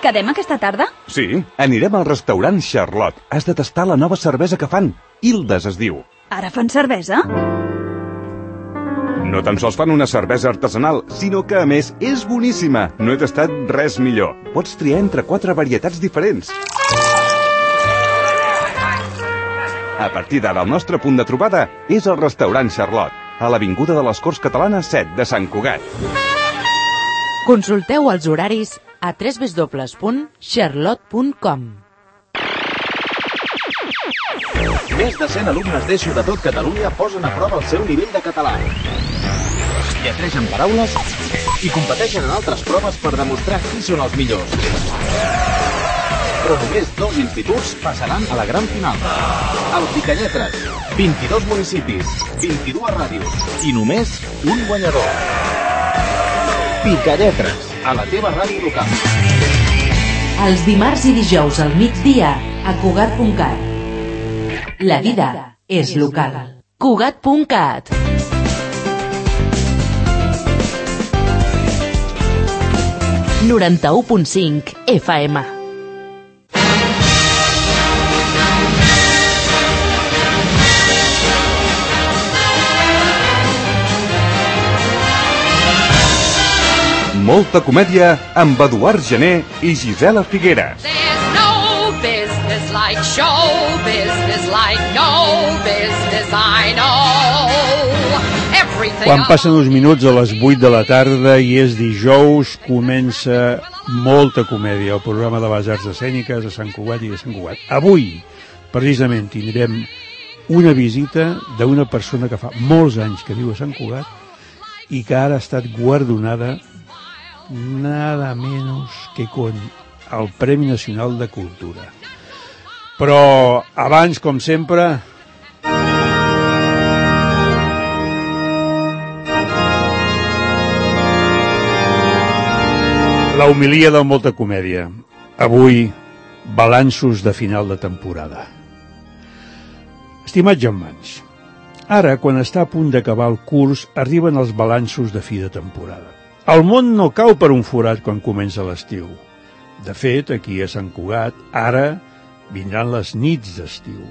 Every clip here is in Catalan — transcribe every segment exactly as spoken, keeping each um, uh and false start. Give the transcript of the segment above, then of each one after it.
Quedem aquesta tarda? Sí, anirem al restaurant Charlotte. Has de tastar la nova cervesa que fan. Hildes es diu. Ara fan cervesa? No tan sols fan una cervesa artesanal, sinó que, a més, és boníssima. No he tastat res millor. Pots triar entre quatre varietats diferents. A partir d'ara, el nostre punt de trobada és el restaurant Charlotte, a l'Avinguda de les Corts Catalanes set de Sant Cugat. Consulteu els horaris a w w w punt charlotte punt com. Més de cent alumnes d'ESO de tot Catalunya posen a prova el seu nivell de català. Lletregen paraules i competeixen en altres proves per demostrar qui són els millors. Però només dos instituts passaran a la gran final. El Picalletres, vint-i-dos municipis, vint-i-dues ràdios i només un guanyador. Picalletres, a la teva ràdio local. Els dimarts i dijous al migdia a Cugat punt cat. La vida és local. Cugat punt cat. noranta-u punt cinc F M. Molta comèdia amb Eduard Gené i Gisela Figueres. There's no business like show business like no business I know. Everything. Quan passen uns minuts a les vuit de la tarda i és dijous, comença molta comèdia, el programa de les arts escèniques a Sant Cugat i de Sant Cugat. Avui, precisament, tindrem una visita d'una persona que fa molts anys que viu a Sant Cugat i que ara ha estat guardonada nada menos que con el Premi Nacional de Cultura. Però abans, com sempre, la homilia de molta comèdia. Avui, balanços de final de temporada. Estimats germans, ara, quan està a punt d'acabar el curs, arriben els balanços de fi de temporada. El món no cau per un forat quan comença l'estiu. De fet, aquí a Sant Cugat, ara vindran les nits d'estiu.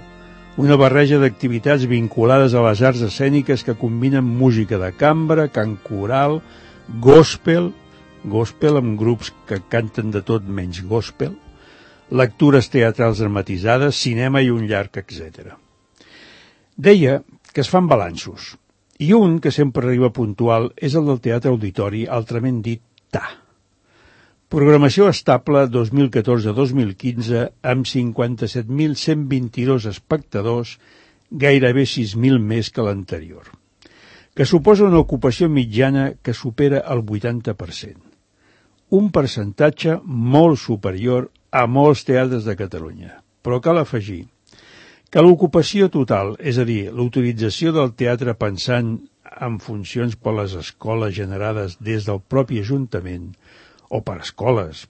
Una barreja d'activitats vinculades a les arts escèniques que combinen música de cambra, cant coral, gospel, gospel amb grups que canten de tot menys gospel, lectures teatrals dramatitzades, cinema i un llarg, etcètera. Deia que es fan balanços. I un que sempre arriba puntual és el del Teatre Auditori, altrament dit T A. Programació estable dos mil catorze a dos mil quinze amb cinquanta-set mil cent vint-i-dos espectadors, gairebé sis mil més que l'anterior, que suposa una ocupació mitjana que supera el vuitanta per cent. Un percentatge molt superior a molts teatres de Catalunya. Però cal afegir que l'ocupació total, és a dir, l'utilització del teatre pensant en funcions per les escoles generades des del propi Ajuntament, o per escoles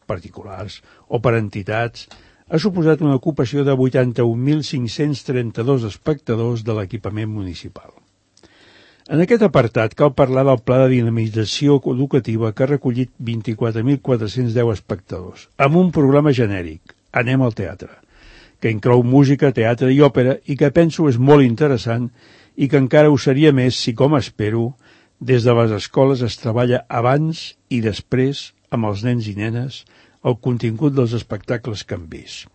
particulars, o per entitats, ha suposat una ocupació de vuitanta-un mil cinc-cents trenta-dos espectadors de l'equipament municipal. En aquest apartat cal parlar del pla de dinamització educativa que ha recollit vint-i-quatre mil quatre-cents deu espectadors, amb un programa genèric, Anem al teatre, que inclou música, teatre i òpera i que penso és molt interessant i que encara ho seria més si, com espero, des de les escoles es treballa abans i després amb els nens i nenes el contingut dels espectacles que han vist.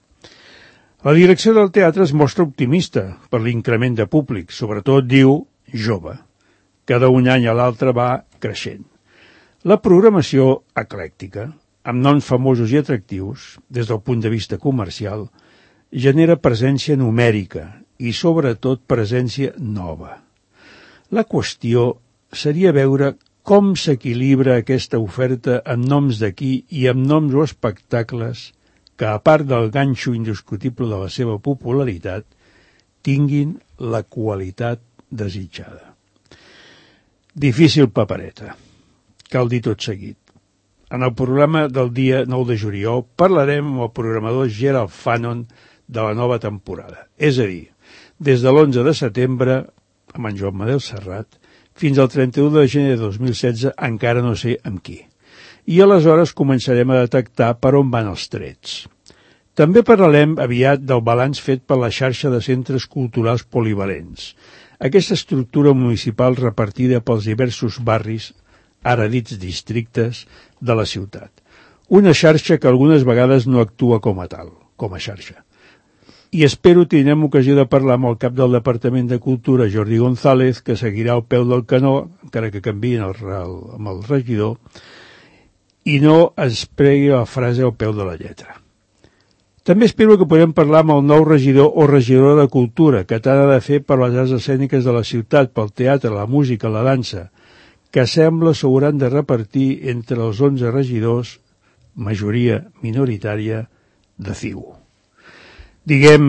La direcció del teatre es mostra optimista per l'increment de públic, sobretot, diu, jove, que d'un any a l'altre va creixent. La programació eclèctica, amb noms famosos i atractius, des del punt de vista comercial, genera presència numèrica i, sobretot, presència nova. La qüestió seria veure com s'equilibra aquesta oferta amb noms d'aquí i amb noms o espectacles que, a part del ganxo indiscutible de la seva popularitat, tinguin la qualitat desitjada. Difícil papereta, cal dir tot seguit. En el programa del dia nou de juliol parlarem amb el programador Gerald Fanon de la nova temporada, és a dir, des de l'onze de setembre, amb en Joan Manel Serrat, fins al trenta-u de gener de dos mil setze, encara no sé amb qui. i aleshores començarem a detectar per on van els trets. També parlarem aviat del balanç fet per la xarxa de centres culturals polivalents, aquesta estructura municipal repartida pels diversos barris, ara dits districtes, de la ciutat. Una xarxa que algunes vegades no actua com a tal, com a xarxa. I espero tindrem ocasió de parlar amb el cap del Departament de Cultura, Jordi González, que seguirà al peu del canó, encara que canviïn el, el, amb el regidor, i no es pregui la frase al peu de la lletra. També espero que podem parlar amb el nou regidor o regidora de Cultura, que tant ha de fer per les arts escèniques de la ciutat, pel teatre, la música, la dansa, que sembla s'hauran de repartir entre els onze regidors, majoria minoritària, de C I U. Diguem,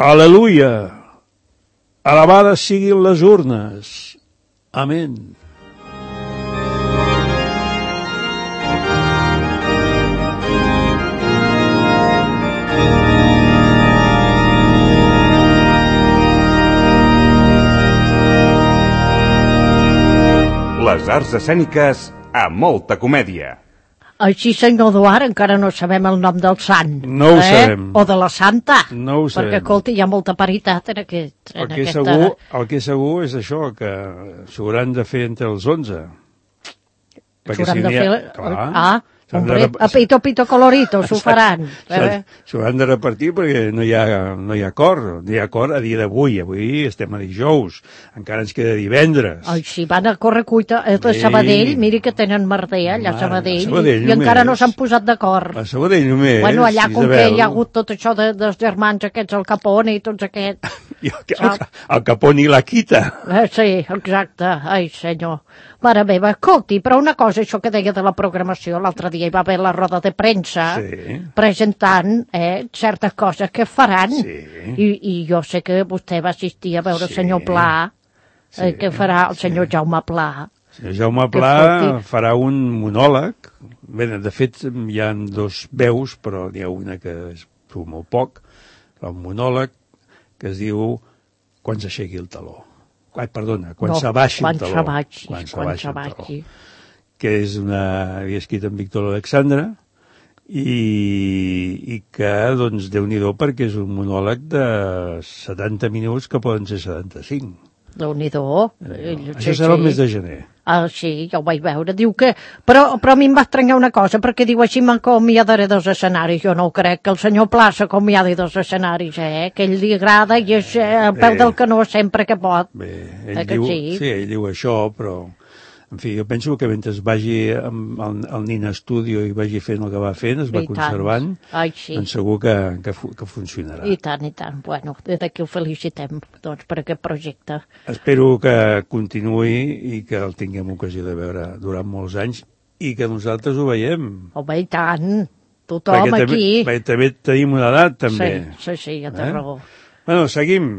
aleluia, alabades siguin les urnes, amén. Les arts escèniques a molta comèdia. Així, senyor Eduard, encara no sabem el nom del sant. No ho eh? sabem. O de la santa. No ho sabem. Perquè, escolta, hi ha molta paritat en, aquest, en el que aquesta... Segur, el que segur és això, que s'hauran de fer entre els onze. S'hauran de fer... Clar, ah, hombre, rep... a pito, pito colorito, s'ho faran. Eh? S'hauran de repartir perquè no hi ha, no hi ha acord. No hi ha acord a dia d'avui. Avui estem a dijous. Encara ens queda divendres. Ai, si van a córrer cuita a sí. Sabadell, miri que tenen merder allà a Sabadell, Sabadell i encara no s'han posat d'acord. A Sabadell només. Bueno, allà com Isabel. que hi ha hagut tot això de, dels germans aquests, el Capone i tots aquests. I el, el, el Capone i la Quita. Eh, sí, exacte. Ai, senyor. Mare meva, escolti, però una cosa, això que deia de la programació, l'altre dia hi va haver la roda de premsa sí. presentant eh, certes coses que faran. Sí. I, I jo sé que vostè va assistir a veure el sí. senyor Pla, eh, sí. que farà el senyor sí. Jaume Pla. El senyor Jaume Pla farà un monòleg. Bé, de fet, hi ha dos veus, però n'hi ha una que és molt poc. Un monòleg que es diu Quan s'aixequi el taló. Ai, perdona, quan no, s'abaixi el taló. S'abaixi, quan s'abaixi el taló. Que és una... havia escrit en Víctor Alexandre i, i que, doncs, Déu-n'hi-do, perquè és un monòleg de setanta minuts que poden ser setanta-cinc. Déu-n'hi-do. Eh, això serà el mes de gener. Ah, sí, ja ho vaig veure. Diu que... Però, però a mi em va estranyar una cosa, perquè diu així m'acomiadaré dos escenaris. Jo no ho crec, que el senyor Pla s'acomiadi dos escenaris, eh? Que ell li agrada i és eh, al peu del canó sempre que pot. Bé, ell eh, diu, sí? sí, ell diu això, però... En fi, jo penso que mentre vagi amb el, el Nina Studio i vagi fent el que va fent, es va I conservant, Ai, sí. doncs segur que, que, que funcionarà. I tant, i tant. Bueno, des d'aquí ho felicitem, doncs, per aquest projecte. Espero que continuï i que el tinguem ocasió de veure durant molts anys i que nosaltres ho veiem. Home, i tant. Tothom perquè aquí. També, perquè també tenim una edat, també. Sí, sí, sí, ja té eh? raó. Bueno, seguim.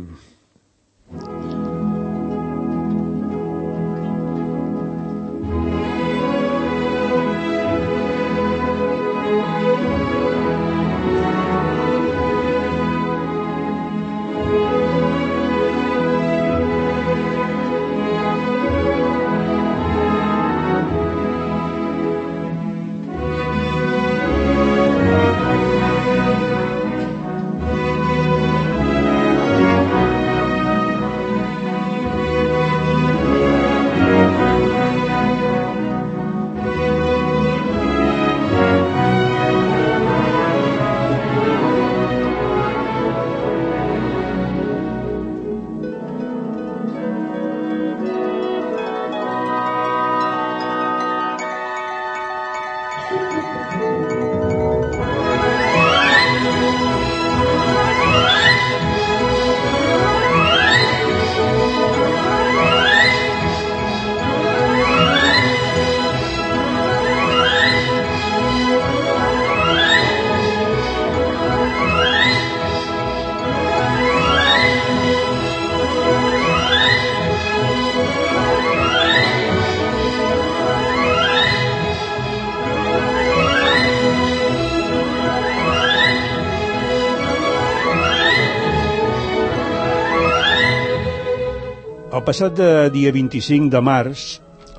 El passat de dia vint-i-cinc de març,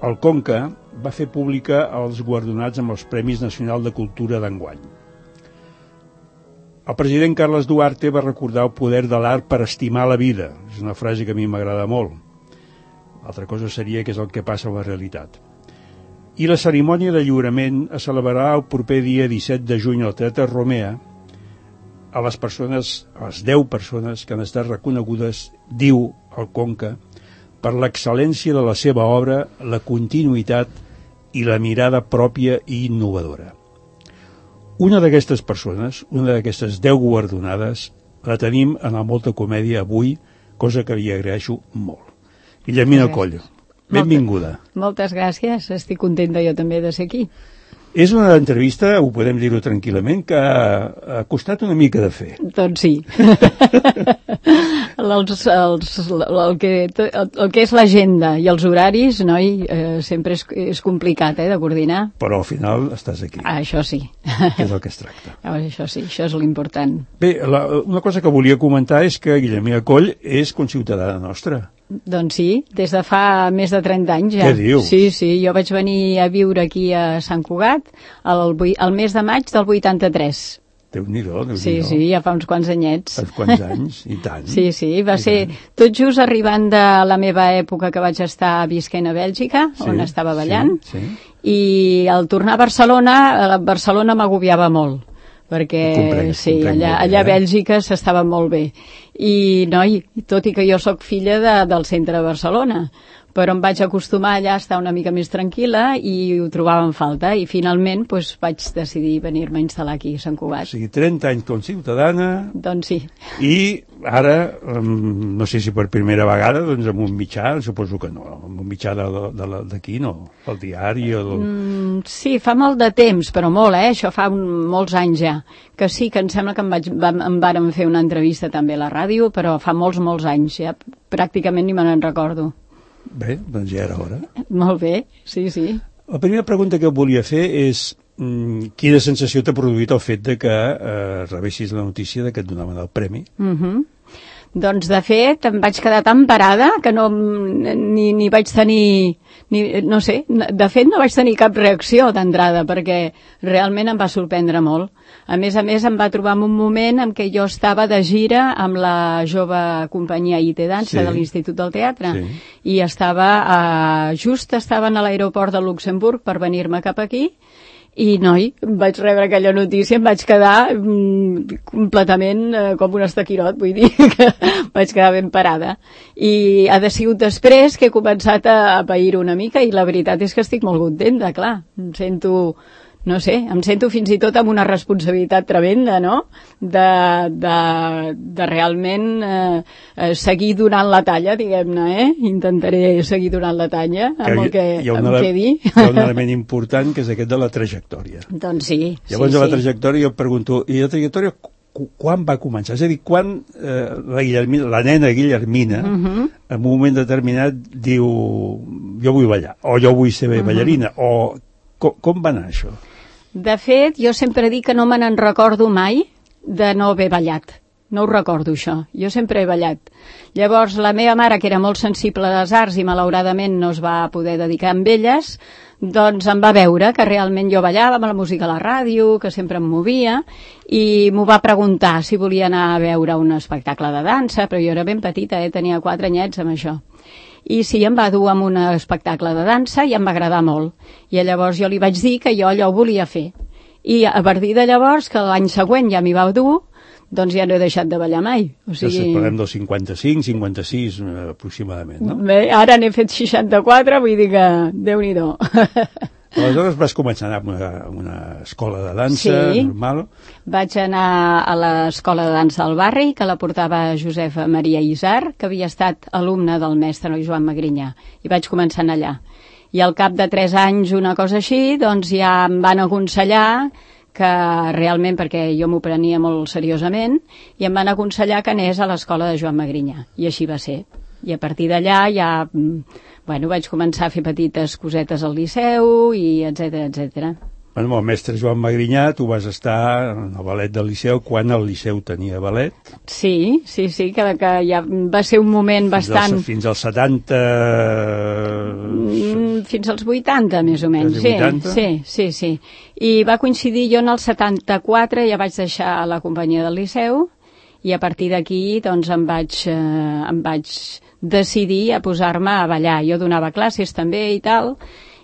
el Conca va fer pública els guardonats amb els Premis Nacional de Cultura d'enguany. El president Carles Duarte va recordar el poder de l'art per estimar la vida. És una frase que a mi m'agrada molt. Altra cosa seria que és el que passa a la realitat. I la cerimònia de lliurament es celebrarà el proper dia disset de juny al Teatre Romea a les persones, a les deu persones que han estat reconegudes, diu el Conca, per l'excel·lència de la seva obra, la continuïtat i la mirada pròpia i innovadora. Una d'aquestes persones, una d'aquestes deu guardonades, la tenim en el Molta Comèdia avui, cosa que li agraeixo molt. Guillermina Coll, benvinguda. Moltes gràcies, estic contenta jo també de ser aquí. És una entrevista, ho podem dir-ho tranquil·lament, que ha costat una mica de fer. Doncs sí. els, els, el, que, el, el que és l'agenda i els horaris, noi, eh, sempre és, és complicat eh, de coordinar. Però al final estàs aquí. Ah, això sí. Que és el que es tracta. Ah, això sí, això és l'important. Bé, la, una cosa que volia comentar és que Guillermina Coll és conciutadana nostra. Doncs sí, des de fa més de trenta anys ja. Què dius? Sí, sí, jo vaig venir a viure aquí a Sant Cugat el, el mes de maig del vuitanta-tres. Déu-n'hi-do, Déu-n'hi-do. Sí, sí, ja fa uns quants anyets. Fa uns quants anys, i tant. Sí, sí, va ser tot just arribant de la meva època que vaig estar visquent a Bèlgica, sí, on estava ballant, sí, sí. I al tornar a Barcelona, a Barcelona m'agobiava molt, perquè comprenc, sí, comprenc allà, bé, allà a eh? Bèlgica s'estava molt bé. I, noi, tot i que jo sóc filla de, del centre de Barcelona, però em vaig acostumar allà a estar una mica més tranquil·la i ho trobava en falta, i finalment doncs, vaig decidir venir-me a instal·lar aquí a Sant Cugat. O sigui, trenta anys com ciutadana... Doncs sí. I ara, no sé si per primera vegada, doncs amb un mitjà, suposo que no, amb un mitjà d'aquí, no? El diari o... Del... Mm, sí, fa molt de temps, però molt, eh? Això fa un, molts anys ja. Que sí, que em sembla que em, vaig, em vàrem fer una entrevista també a la ràdio, però fa molts, molts anys, ja pràcticament ni me n'en recordo. Bé, doncs ja era hora. Molt bé, sí, sí. La primera pregunta que volia fer és mm, quina sensació t'ha produït el fet de que eh, rebessis la notícia de que et donaven el premi? Mhm. Doncs, de fet, em vaig quedar tan parada que no, ni, ni vaig tenir, ni, no sé, de fet no vaig tenir cap reacció d'entrada, perquè realment em va sorprendre molt. A més a més, em va trobar en un moment en què jo estava de gira amb la jove companyia I T Dansa, sí, de l'Institut del Teatre, sí, i estava, eh, just estaven a l'aeroport de Luxemburg per venir-me cap aquí, i, noi, vaig rebre aquella notícia, em vaig quedar mm, completament eh, com un estaquirot, vull dir que vaig quedar ben parada. I ha de sigut després que he començat a, a pair una mica, i la veritat és que estic molt contenta, clar. Em sento, no sé, em sento fins i tot amb una responsabilitat tremenda, no?, de, de, de realment eh, seguir donant la talla, diguem-ne, eh? Intentaré seguir donant la talla amb el que em quedi. Hi ha un element important, que és aquest de la trajectòria. Doncs sí. Llavors, sí, de la sí. trajectòria, jo et pregunto, i la trajectòria quan va començar? És a dir, quan eh, la, Guillermina, la nena Guillermina, uh -huh. en un moment determinat, diu jo vull ballar, o jo vull ser uh -huh. ballarina, o com, com va anar això? De fet, jo sempre dic que no me n'en recordo mai de no haver ballat. No ho recordo, això. Jo sempre he ballat. Llavors, la meva mare, que era molt sensible a les arts i malauradament no es va poder dedicar amb elles, doncs em va veure que realment jo ballava amb la música a la ràdio, que sempre em movia, i m'ho va preguntar si volia anar a veure un espectacle de dansa, però jo era ben petita, eh? Tenia quatre anyets amb això. I sí, em va dur a un espectacle de dansa i em va agradar molt. I llavors jo li vaig dir que jo allò ho volia fer. I a partir de llavors, que l'any següent ja m'hi va dur, doncs ja no he deixat de ballar mai. O sigui... Doncs parlem del cinquanta-cinc, cinquanta-sis, aproximadament, no? Bé, ara n'he fet seixanta-quatre, vull dir que Déu-n'hi-do. Aleshores vas començar a anar a una, una escola de dansa, sí, normal? Vaig anar a l'escola de dansa del barri, que la portava Josefa Maria Isar, que havia estat alumna del mestre Joan Magrinyà, i vaig començar a anar allà. I al cap de tres anys, una cosa així, doncs ja em van aconsellar que realment, perquè jo m'ho prenia molt seriosament, i em van aconsellar que anés a l'escola de Joan Magrinyà, i així va ser. I a partir d'allà ja, bueno, vaig començar a fer petites cosetes al Liceu, i etcètera, etcètera. Bueno, el mestre Joan Magrinyà, tu vas estar en el ballet del Liceu quan el Liceu tenia ballet. Sí, sí, sí, que, que ja va ser un moment fins bastant... Als, fins als setanta... Mm, fins als vuitanta, més o menys. Sí, sí, sí, sí. I va coincidir, jo en el setanta-quatre ja vaig deixar la companyia del Liceu i a partir d'aquí doncs em vaig, eh, em vaig decidir a posar-me a ballar. Jo donava classes també i tal,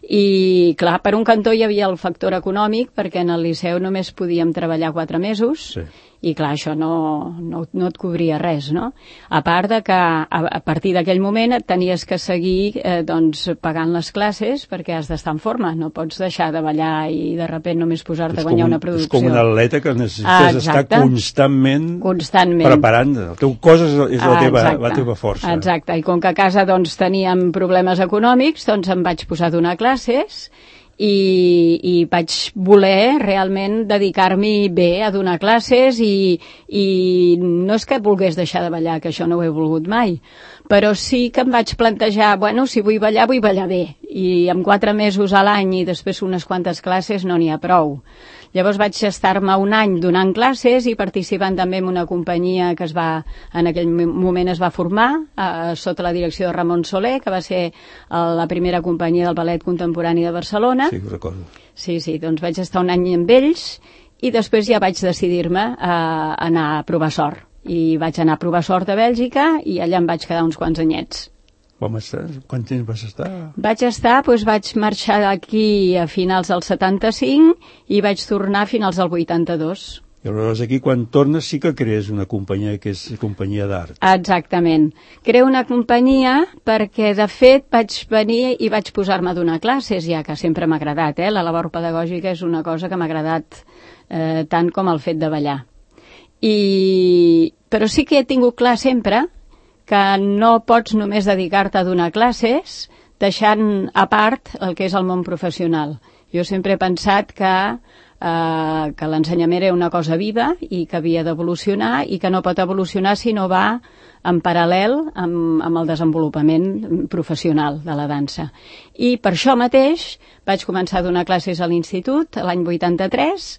i clar, per un cantó hi havia el factor econòmic perquè en el Liceu només podíem treballar quatre mesos sí. I clar, això no, no, no et cobria res, no? A part de que a, a partir d'aquell moment et tenies que seguir eh, doncs, pagant les classes perquè has d'estar en forma, no pots deixar de ballar i de sobte només posar-te a guanyar un, una producció. És com un atleta que necessites ah, estar constantment, constantment preparant. El teu cos és, és la, teva, ah, la teva força. Exacte, i com que a casa doncs, teníem problemes econòmics, doncs em vaig posar a donar classes i, i vaig voler realment dedicar-m'hi bé a donar classes i, i no és que volgués deixar de ballar, que això no ho he volgut mai, però sí que em vaig plantejar, bueno, si vull ballar, vull ballar bé, i amb quatre mesos a l'any i després unes quantes classes no n'hi ha prou. Llavors vaig estar-me un any donant classes i participant també en una companyia que es va, en aquell moment es va formar eh, sota la direcció de Ramon Soler, que va ser eh, la primera companyia del ballet contemporani de Barcelona. Sí, ho recordo. Sí, sí, doncs vaig estar un any amb ells i després ja vaig decidir-me a anar a provar sort. I vaig anar a provar sort a Bèlgica i allà em vaig quedar uns quants anyets. Com estàs? Quant temps vas estar? Vaig estar, doncs vaig marxar d'aquí a finals del setanta-cinc i vaig tornar a finals del vuitanta-dos. I aleshores aquí quan tornes sí que crees una companyia que és companyia d'art. Exactament. Creo una companyia perquè de fet vaig venir i vaig posar-me a donar classes, ja que sempre m'ha agradat, eh? La labor pedagògica és una cosa que m'ha agradat eh, tant com el fet de ballar. I... Però sí que he tingut clar sempre que no pots només dedicar-te a donar classes deixant a part el que és el món professional. Jo sempre he pensat que, eh, que l'ensenyament era una cosa viva i que havia d'evolucionar i que no pot evolucionar si no va en paral·lel amb, amb el desenvolupament professional de la dansa. I per això mateix vaig començar a donar classes a l'institut l'any vuitanta-tres,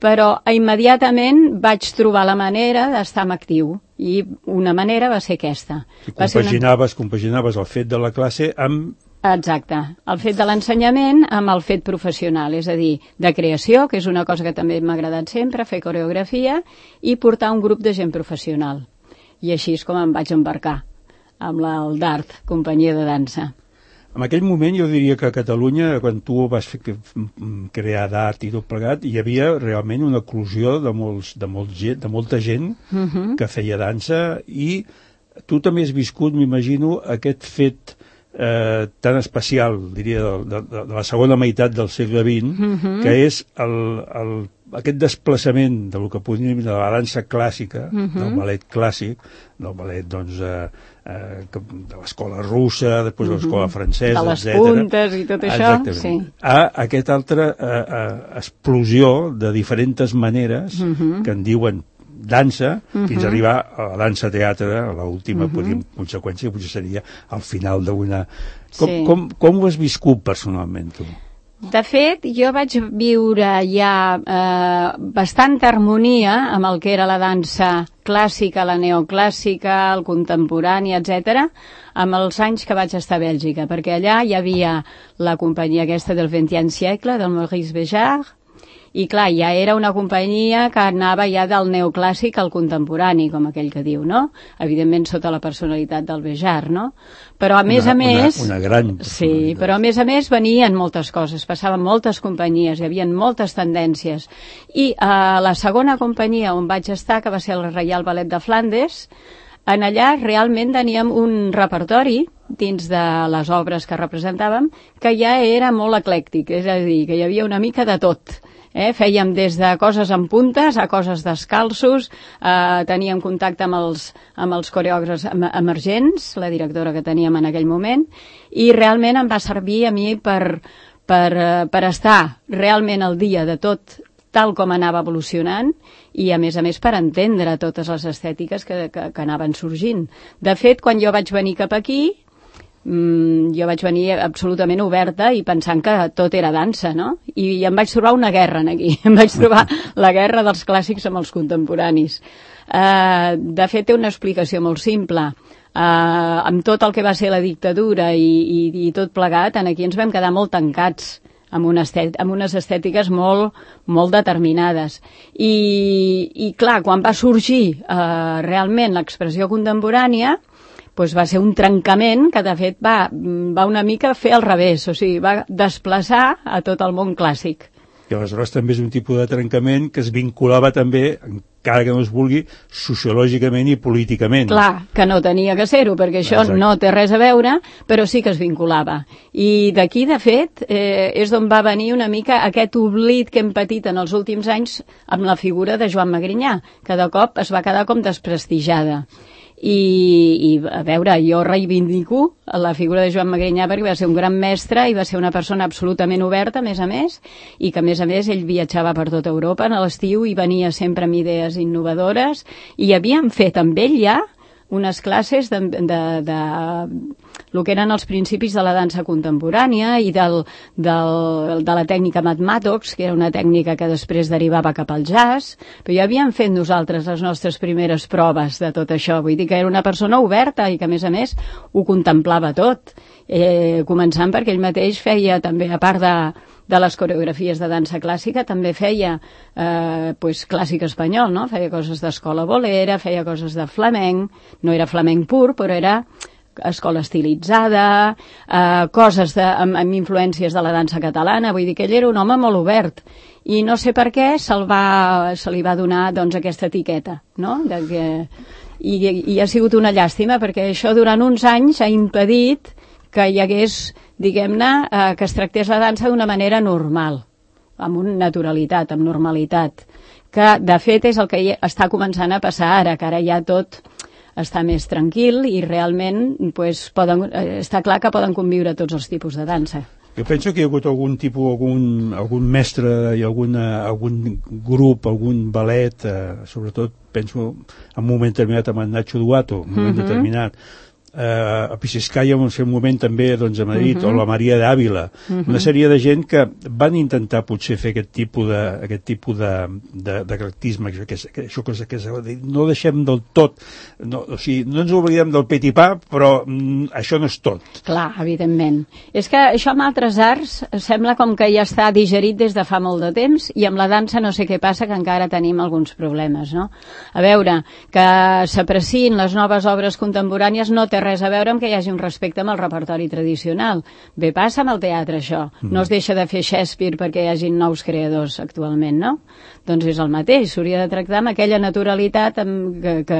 però immediatament vaig trobar la manera d'estar en actiu i una manera va ser aquesta. Si compaginaves, una... compaginaves el fet de la classe amb... Exacte, el fet de l'ensenyament amb el fet professional, és a dir, de creació, que és una cosa que també m'ha agradat sempre, fer coreografia i portar un grup de gent professional. I així és com em vaig embarcar amb el d'Art, companyia de dansa. En aquell moment jo diria que a Catalunya, quan tu vas fer, crear d'art i tot plegat, hi havia realment una eclosió de, molts, de, molts, de molta gent uh-huh. que feia dansa i tu també has viscut, m'imagino, aquest fet eh, tan especial, diria, de, de, de la segona meitat del segle vint, uh-huh. que és el, el, aquest desplaçament de lo que podríem dir de la dansa clàssica, uh-huh. del ballet clàssic, del ballet, doncs, eh, eh, de l'escola russa, després de l'escola francesa, de les etcètera. puntes i tot això. Sí. A aquesta altra eh, eh, explosió de diferents maneres uh-huh. que en diuen dansa, uh-huh. fins a arribar a la dansa-teatre, a l'última uh-huh. conseqüència, que potser seria al final d'una... Com, sí. com, com ho has viscut personalment, tu? De fet, jo vaig viure ja eh, bastanta harmonia amb el que era la dansa clàssica, la neoclàssica, el contemporani, etcètera, amb els anys que vaig estar a Bèlgica, perquè allà hi havia la companyia aquesta del vingtième siècle, del Maurice Béjart, i clar, ja era una companyia que anava ja del neoclàssic al contemporani, com aquell que diu, no? Evidentment sota la personalitat del Béjart, no? Però a més una, a més... Una, una gran sí, però a més a més venien moltes coses, passaven moltes companyies, hi havia moltes tendències. I a la segona companyia on vaig estar, que va ser el Reial Ballet de Flandes, en allà realment teníem un repertori dins de les obres que representàvem que ja era molt eclèctic, és a dir, que hi havia una mica de tot. Eh, fèiem des de coses amb puntes a coses descalços, eh, teníem contacte amb els, amb els coreògrafs emergents, la directora que teníem en aquell moment, i realment em va servir a mi per, per, per estar realment al dia de tot tal com anava evolucionant i a més a més per entendre totes les estètiques que, que, que anaven sorgint. De fet, quan jo vaig venir cap aquí, mm, jo vaig venir absolutament oberta i pensant que tot era dansa, no? I, i em vaig trobar una guerra aquí, em vaig trobar la guerra dels clàssics amb els contemporanis. Uh, de fet, té una explicació molt simple. Uh, amb tot el que va ser la dictadura i, i, i tot plegat, aquí ens vam quedar molt tancats, amb, una estet, amb unes estètiques molt, molt determinades. I, i clar, quan va sorgir uh, realment l'expressió contemporània, doncs va ser un trencament que, de fet, va, va una mica fer al revés, o sigui, va desplaçar a tot el món clàssic. I aleshores també és un tipus de trencament que es vinculava també, encara que no es vulgui, sociològicament i políticament. Clar, que no tenia que ser-ho, perquè això Exacte. No té res a veure, però sí que es vinculava. I d'aquí, de fet, eh, és d'on va venir una mica aquest oblit que hem patit en els últims anys amb la figura de Joan Magrinyà, que de cop es va quedar com desprestigiada. I, i a veure, jo reivindico la figura de Joan Magrinyà perquè va ser un gran mestre i va ser una persona absolutament oberta, a més a més, i que a més a més ell viatjava per tota Europa en l'estiu i venia sempre amb idees innovadores i havíem fet amb ell ja unes classes de, de, de el que eren els principis de la dansa contemporània i del, del, de la tècnica Matmatox, que era una tècnica que després derivava cap al jazz, però ja havíem fet nosaltres les nostres primeres proves de tot això, vull dir que era una persona oberta i que a més a més ho contemplava tot, eh, començant perquè ell mateix feia també, a part de de les coreografies de dansa clàssica, també feia eh, pues, clàssic espanyol, no? Feia coses d'escola bolera, feia coses de flamenc, no era flamenc pur, però era escola estilitzada, eh, coses de, amb, amb influències de la dansa catalana, vull dir que ell era un home molt obert, i no sé per què se'l va, se li va donar doncs, aquesta etiqueta, no? De que, i, i ha sigut una llàstima, perquè això durant uns anys ha impedit que hi hagués, diguem-ne, eh, que es tractés la dansa d'una manera normal, amb una naturalitat, amb normalitat, que de fet és el que està començant a passar ara, que ara ja tot està més tranquil i realment pues, poden, eh, està clar que poden conviure tots els tipus de dansa. Jo penso que hi ha hagut algun tipus, algun, algun mestre i alguna, algun grup, algun ballet, eh, sobretot penso en un moment determinat amb en Nacho Duato, un moment mm-hmm. determinat, Uh, a Pisiscaya en un moment també doncs, a Madrid, uh-huh. o la Maria d'Àvila, uh-huh. una sèrie de gent que van intentar potser fer aquest tipus de, aquest tipus de, de, de caractisme, que, que, que, això que, que, que no deixem del tot, no, o sigui, no ens oblidem del petipà, però mm, això no és tot. Clar, evidentment. És que això amb altres arts sembla com que ja està digerit des de fa molt de temps i amb la dansa no sé què passa, que encara tenim alguns problemes, no? A veure, que s'aprecien les noves obres contemporànies no té res a veure amb que hi hagi un respecte amb el repertori tradicional. Bé, passa amb el teatre, això. No es deixa de fer Shakespeare perquè hi hagi nous creadors actualment, no? Doncs és el mateix, s'hauria de tractar amb aquella naturalitat amb que, que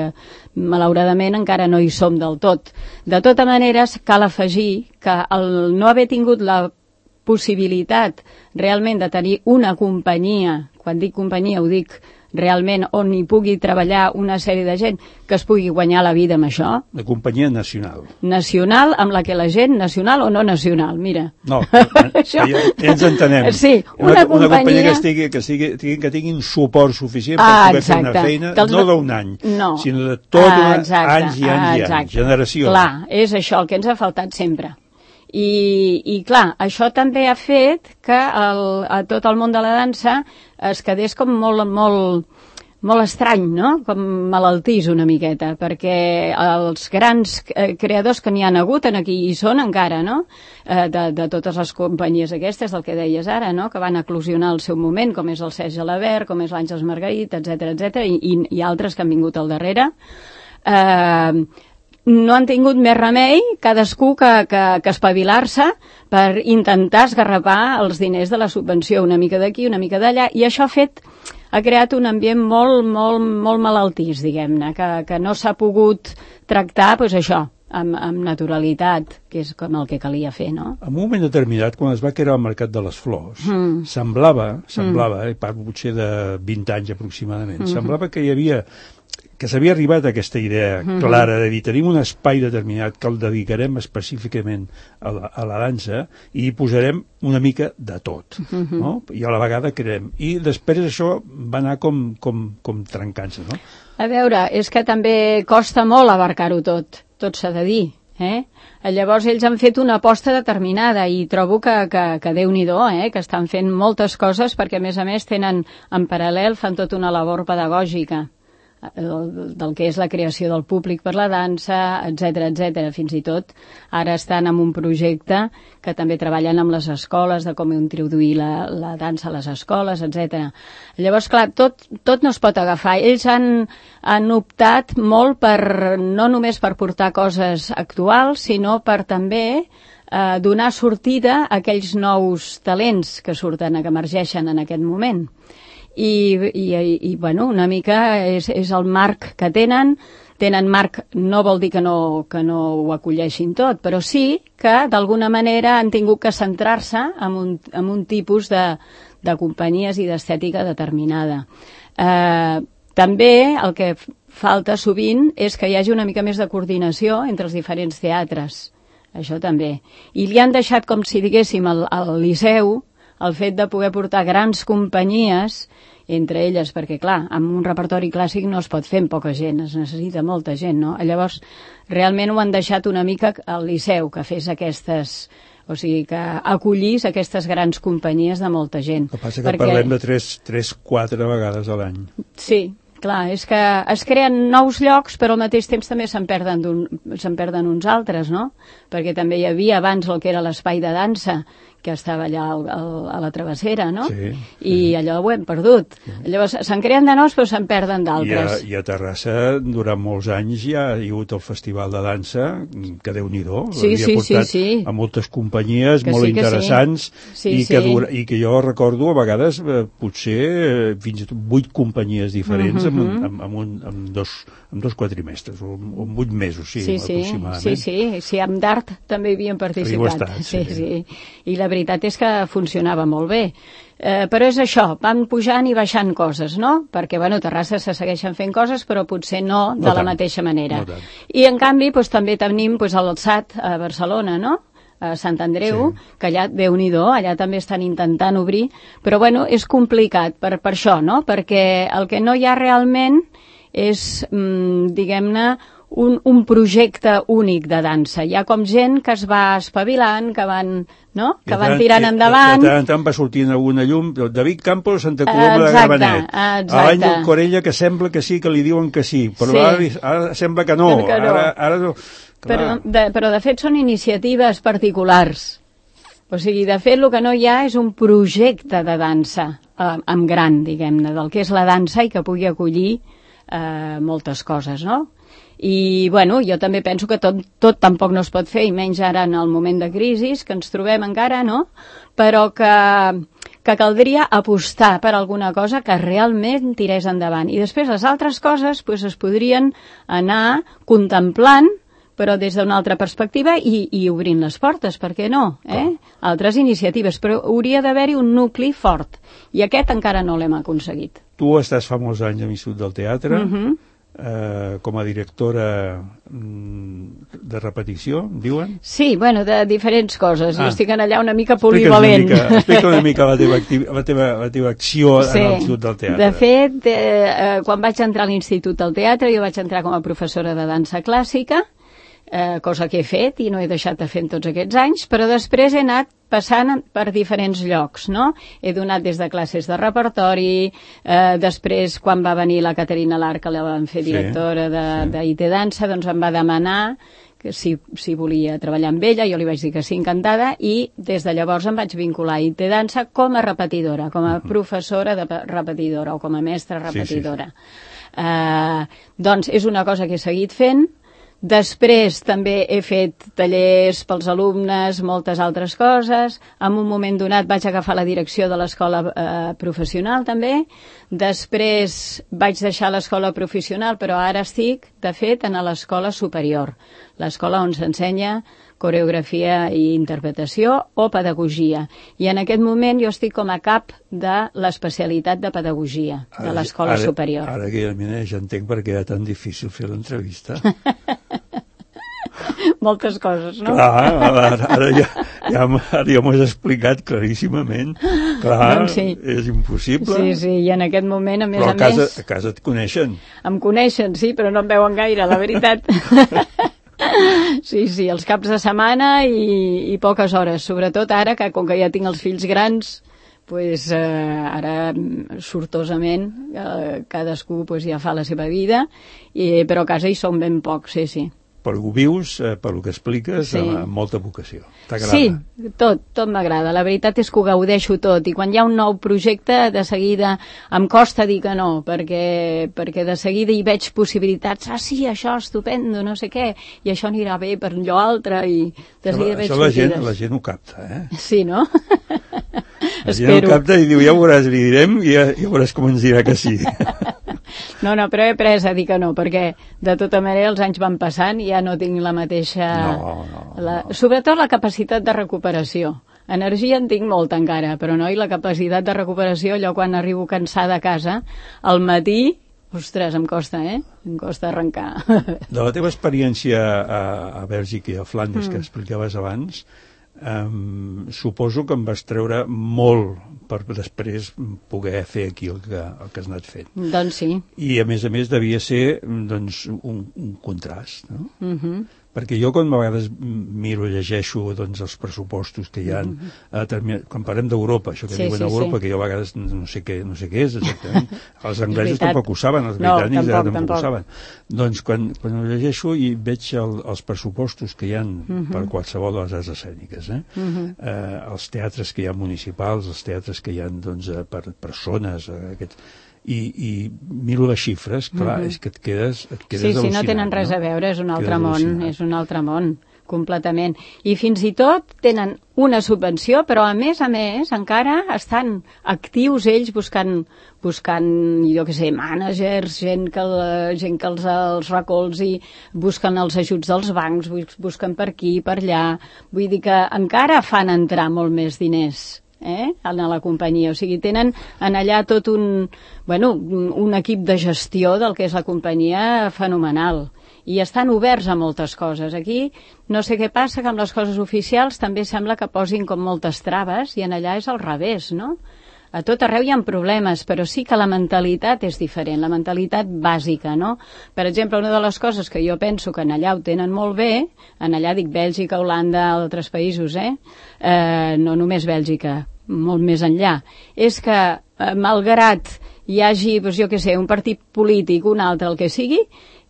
malauradament encara no hi som del tot. De tota manera, cal afegir que el no haver tingut la possibilitat realment de tenir una companyia, quan dic companyia ho dic realment on hi pugui treballar una sèrie de gent que es pugui guanyar la vida amb això. La companyia nacional. Nacional, amb la que la gent, nacional o no nacional, mira. No, això... ja, ja ens entenem. Sí, una, una, companyia... una companyia que, estigui, que, estigui, que tinguin suport suficient per ah, poder exacte. fer una feina, Dels... no d'un any, no. sinó de tot ah, una, exacte. anys i anys ah, i anys, generacions. Clar, és això el que ens ha faltat sempre. I, i clar, això també ha fet que el, a tot el món de la dansa es quedés com molt, molt, molt estrany, no? Com malaltís una miqueta, perquè els grans creadors que n'hi han hagut en aquí hi són encara, no? De, de totes les companyies aquestes, del que deies ara, no? Que van eclosionar al seu moment, com és el Serge Gelabert, com és l'Àngels Margarit, etcètera, etcètera, i, i, i altres que han vingut al darrere. Eh... no han tingut més remei, cadascú que, que, que espavilar-se per intentar esgarrapar els diners de la subvenció, una mica d'aquí, una mica d'allà, i això ha fet, ha creat un ambient molt, molt, molt malaltís, diguem-ne, que, que no s'ha pogut tractar, doncs això, amb, amb naturalitat, que és com el que calia fer, no? En un moment determinat, quan es va crear el Mercat de les Flors, mm. semblava, semblava, mm. eh, parlo potser de vint anys aproximadament, mm. semblava que hi havia que s'havia arribat a aquesta idea clara de dir, tenim un espai determinat que el dedicarem específicament a la, a la dansa i hi posarem una mica de tot, uh-huh. no? I a la vegada creem. I després això va anar com, com, com trencant-se, no? A veure, és que també costa molt abarcar-ho tot, tot s'ha de dir. Eh? Llavors ells han fet una aposta determinada i trobo que, que, que Déu-n'hi-do, eh? Que estan fent moltes coses perquè a més a més tenen en paral·lel, fan tota una labor pedagògica del, del que és la creació del públic per la dansa, etcètera, etcètera. Fins i tot ara estan en un projecte que també treballen amb les escoles de com introduir la, la dansa a les escoles, etcètera. Llavors, clar, tot, tot no es pot agafar. Ells han, han optat molt per, no només per portar coses actuals, sinó per també eh, donar sortida a aquells nous talents que surten, que emergeixen en aquest moment. I, i, i bueno, una mica és, és el marc que tenen. Tenen marc, no vol dir que no, que no ho acolleixin tot, però sí que d'alguna manera han tingut que centrar-se en un, en un tipus de, de companyies i d'estètica determinada. Eh, també el que falta sovint és que hi hagi una mica més de coordinació entre els diferents teatres, això també. I li han deixat, com si diguéssim, al, al Liceu, el fet de poder portar grans companyies, entre elles, perquè, clar, amb un repertori clàssic no es pot fer amb poca gent, es necessita molta gent, no? Llavors, realment ho han deixat una mica al Liceu, que fes aquestes... O sigui, que acollís aquestes grans companyies de molta gent. El que passa que perquè... parlem de tres quatre vegades a l'any. Sí, clar, és que es creen nous llocs, però al mateix temps també se'n perden, se'n perden uns altres, no? Perquè també hi havia abans el que era l'espai de dansa, que estava allà al, al, a la travessera, no? Sí, sí. I allò ho hem perdut. Sí. Llavors, se'n creen de nous, però se'n perden d'altres. I, I a Terrassa, durant molts anys, hi ha, hi ha hagut el Festival de Dansa, que Déu-n'hi-do, sí, havia sí, portat sí, sí. a moltes companyies que molt sí, interessants, sí. Sí, i, que sí. dura, i que jo recordo a vegades, eh, potser, eh, fins i tot vuit companyies diferents, mm-hmm. amb, amb, amb, un, amb, dos, amb dos quadrimestres, o amb vuit mesos, sí, sí, sí, aproximadament. Sí, sí, sí, amb d'art també hi havien participat. Estat, sí, sí. sí. I la veritat és que funcionava molt bé. Eh, però és això, van pujant i baixant coses, no? Perquè, bueno, a Terrassa se segueixen fent coses, però potser no de no la tant, mateixa manera. No I, en canvi, doncs, també tenim doncs, el S A T a Barcelona, no? A Sant Andreu, sí. Que allà, Déu-n'hi-do, allà també estan intentant obrir, però, bueno, és complicat per, per això, no? Perquè el que no hi ha realment és, mm, diguem-ne, Un, un projecte únic de dansa. Hi ha com gent que es va espavilant, que van, no? que van tirant endavant. De tant en tant va sortint alguna llum. David Campos, Santa Coloma de Gramenet. L'Àngel Corella, que sembla que sí, que li diuen que sí, però sí. Ara, ara sembla que no. Que no. Ara, ara no. Però, de, però de fet són iniciatives particulars. O sigui, de fet el que no hi ha és un projecte de dansa eh, amb gran, diguem-ne, del que és la dansa i que pugui acollir eh, moltes coses, no? I, bueno, jo també penso que tot, tot tampoc no es pot fer, i menys ara en el moment de crisi que ens trobem encara, no? Però que, que caldria apostar per alguna cosa que realment tirés endavant. I després les altres coses pues, es podrien anar contemplant, però des d'una altra perspectiva i, i obrint les portes, per què no? Eh? Altres iniciatives, però hauria d'haver-hi un nucli fort, i aquest encara no l'hem aconseguit. Tu estàs fa molts anys a l'Institut del Teatre, uh-huh. Eh, com a directora mm, de repetició, diuen? Sí, bueno, de diferents coses. Ah. Jo estic allà una mica Explica polivalent. una mica, explica una mica la teva, activ, la teva, la teva acció sí. En l'Institut del Teatre. De fet, eh, quan vaig entrar a l'Institut del Teatre, jo vaig entrar com a professora de dansa clàssica, eh, cosa que he fet i no he deixat de fer en tots aquests anys, però després he anat passant per diferents llocs, no? He donat des de classes de repertori, eh, després, quan va venir la Caterina Lar, que la van fer directora sí, de, sí. de I T Dansa, doncs em va demanar que si, si volia treballar amb ella, jo li vaig dir que sí, encantada, i des de llavors em vaig vincular a I T Dansa com a repetidora, com a professora de repetidora o com a mestra repetidora. Sí, sí, sí. Eh, doncs és una cosa que he seguit fent. Després també he fet tallers pels alumnes, moltes altres coses. En un moment donat vaig agafar la direcció de l'escola eh, professional també. Després vaig deixar l'escola professional, però ara estic, de fet, en l'escola superior. L'escola on s'ensenya coreografia i interpretació o pedagogia. I en aquest moment jo estic com a cap de l'especialitat de pedagogia de l'escola superior. Ara que ja, ja entenc per què era tan difícil fer l'entrevista. Moltes coses, no? Clar, ara, ara ja, ja, ara ja m'ho has explicat claríssimament. Clar, doncs sí. És impossible. Sí, sí, i en aquest moment, a més però a, a casa, més... a casa et coneixen. Em coneixen, sí, però no em veuen gaire, la veritat. Sí, sí, els caps de setmana i, i poques hores, sobretot ara, que com que ja tinc els fills grans, pues, eh, ara sortosament eh, cadascú pues, ja fa la seva vida, i, però a casa hi som ben pocs, sí, sí. Però ho vius, eh, per lo que expliques, Sí. amb, amb molta vocació. T'agrada? Sí, tot, tot m'agrada. La veritat és que ho gaudeixo tot, i quan hi ha un nou projecte, de seguida em costa dir que no, perquè, perquè de seguida hi veig possibilitats. Ah, sí, això, estupendo, no sé què, i això anirà bé per allò altre, i de seguida Això, veig això la, gent, sortides. la gent ho capta, eh? Sí, no? La gent ho capta i diu, ja veuràs, li direm, i ja, ja veuràs com ens dirà que sí. No, no, però he après a dir que no, perquè de tota manera els anys van passant i ja no tinc la mateixa... No, no, la... Sobretot la capacitat de recuperació. Energia en tinc molta encara, però no, i la capacitat de recuperació, allò quan arribo cansada a casa, al matí, ostres, em costa, eh? Em costa arrencar. De la teva experiència a, a Bèlgica i a Flandes, mm. que explicaves abans, um, suposo que em vas treure molt per després poder fer aquí el que, el que has anat fent. Doncs sí. I a més a més devia ser doncs, un, un contrast, no? Mhm. Perquè jo quan a vegades miro i llegeixo doncs, els pressupostos que hi ha, mm-hmm. quan parlem d'Europa, això que Sí, diuen sí, Europa, sí. que jo a vegades no sé què, no sé què és exactament, els anglesos veritat. tampoc ho saben, els No, britànics tampoc, tampoc, tampoc. ho saben. Doncs quan, quan ho llegeixo i veig el, els pressupostos que hi ha Mhm. per qualsevol de les arts escèniques, eh? Mhm. Eh, els teatres que hi ha municipals, els teatres que hi ha doncs, eh, per persones, eh, aquests... I, i miro les xifres, clar, Mhm. és que et quedes, et quedes Sí, sí, al·lucinat. no tenen res no? a veure, és un Et altre quedes món, al·lucinat. és un altre món, completament. I fins i tot tenen una subvenció, però a més a més encara estan actius ells buscant, buscant jo què sé, mànagers, gent que, el- gent que els, els recolzi, busquen els ajuts dels bancs, bus- busquen per aquí, per allà. Vull dir que encara fan entrar molt més diners eh, a la companyia, o sigui, tenen en allà tot un, bueno, un un equip de gestió del que és la companyia fenomenal, i estan oberts a moltes coses. Aquí no sé què passa, que amb les coses oficials també sembla que posin com moltes traves, i en allà és al revés, no? A tot arreu hi ha problemes, però sí que la mentalitat és diferent, la mentalitat bàsica, no? Per exemple, una de les coses que jo penso que en allà ho tenen molt bé, en allà dic Bèlgica, Holanda, altres països, eh? eh no només Bèlgica, molt més enllà, és que eh, malgrat hi hagi, doncs jo què sé, un partit polític, un altre, el que sigui,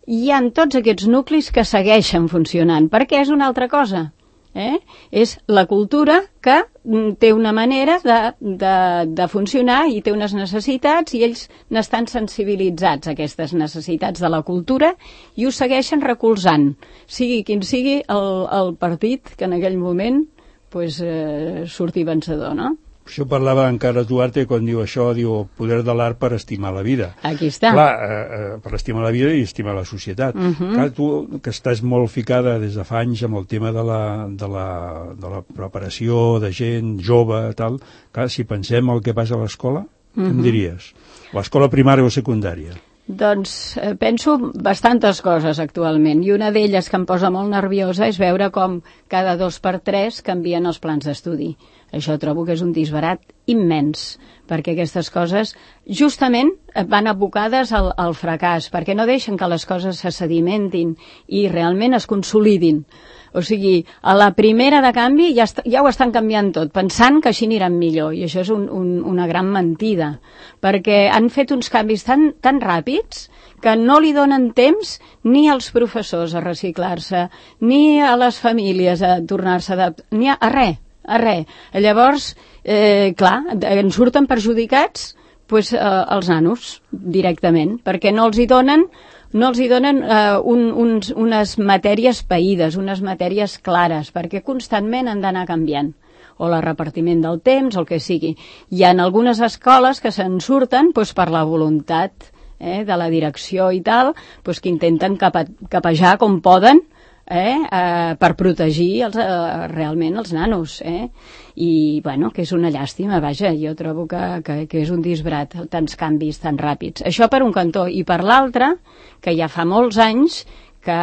hi ha tots aquests nuclis que segueixen funcionant, perquè és una altra cosa. Eh? És la cultura que mm, té una manera de, de, de funcionar i té unes necessitats, i ells n'estan sensibilitzats a aquestes necessitats de la cultura i ho segueixen recolzant, sigui quin sigui el, el partit que en aquell moment pues, eh, surti vencedor, no? Això parlava encara Duarte quan diu això, diu el poder de l'art per estimar la vida. Aquí està. Clar, eh, eh, per estimar la vida i estimar la societat. Mhm. Clar, tu que estàs molt ficada des de fa anys amb el tema de la, de la, de la preparació de gent jove, tal, clar, si pensem el que passa a l'escola, què em Mhm. diries? L'escola primària o secundària? Doncs eh, penso bastantes coses actualment, i una d'elles que em posa molt nerviosa és veure com cada dos per tres canvien els plans d'estudi. Això trobo que és un disbarat immens, perquè aquestes coses justament van abocades al, al fracàs, perquè no deixen que les coses se sedimentin i realment es consolidin. O sigui, a la primera de canvi ja, ja ho estan canviant tot, pensant que així aniran millor, i això és un, un, una gran mentida, perquè han fet uns canvis tan, tan ràpids que no li donen temps ni als professors a reciclar-se, ni a les famílies a tornar-se a adaptar, ni a, a res, a res. Llavors, eh, clar, en surten perjudicats pues, eh, els nanos directament, perquè no els hi donen no els hi donen eh, un, uns, unes matèries païdes, unes matèries clares, perquè constantment han d'anar canviant, o el repartiment del temps, o el que sigui. Hi ha algunes escoles que se'n surten pues, per la voluntat eh, de la direcció i tal, pues, que intenten capa, capejar com poden, Eh, eh, per protegir els, eh, realment els nanos, eh? I bueno, que és una llàstima, vaja, jo trobo que, que, que és un disbrat, tants canvis tan ràpids. Això per un cantó, i per l'altre, que ja fa molts anys que,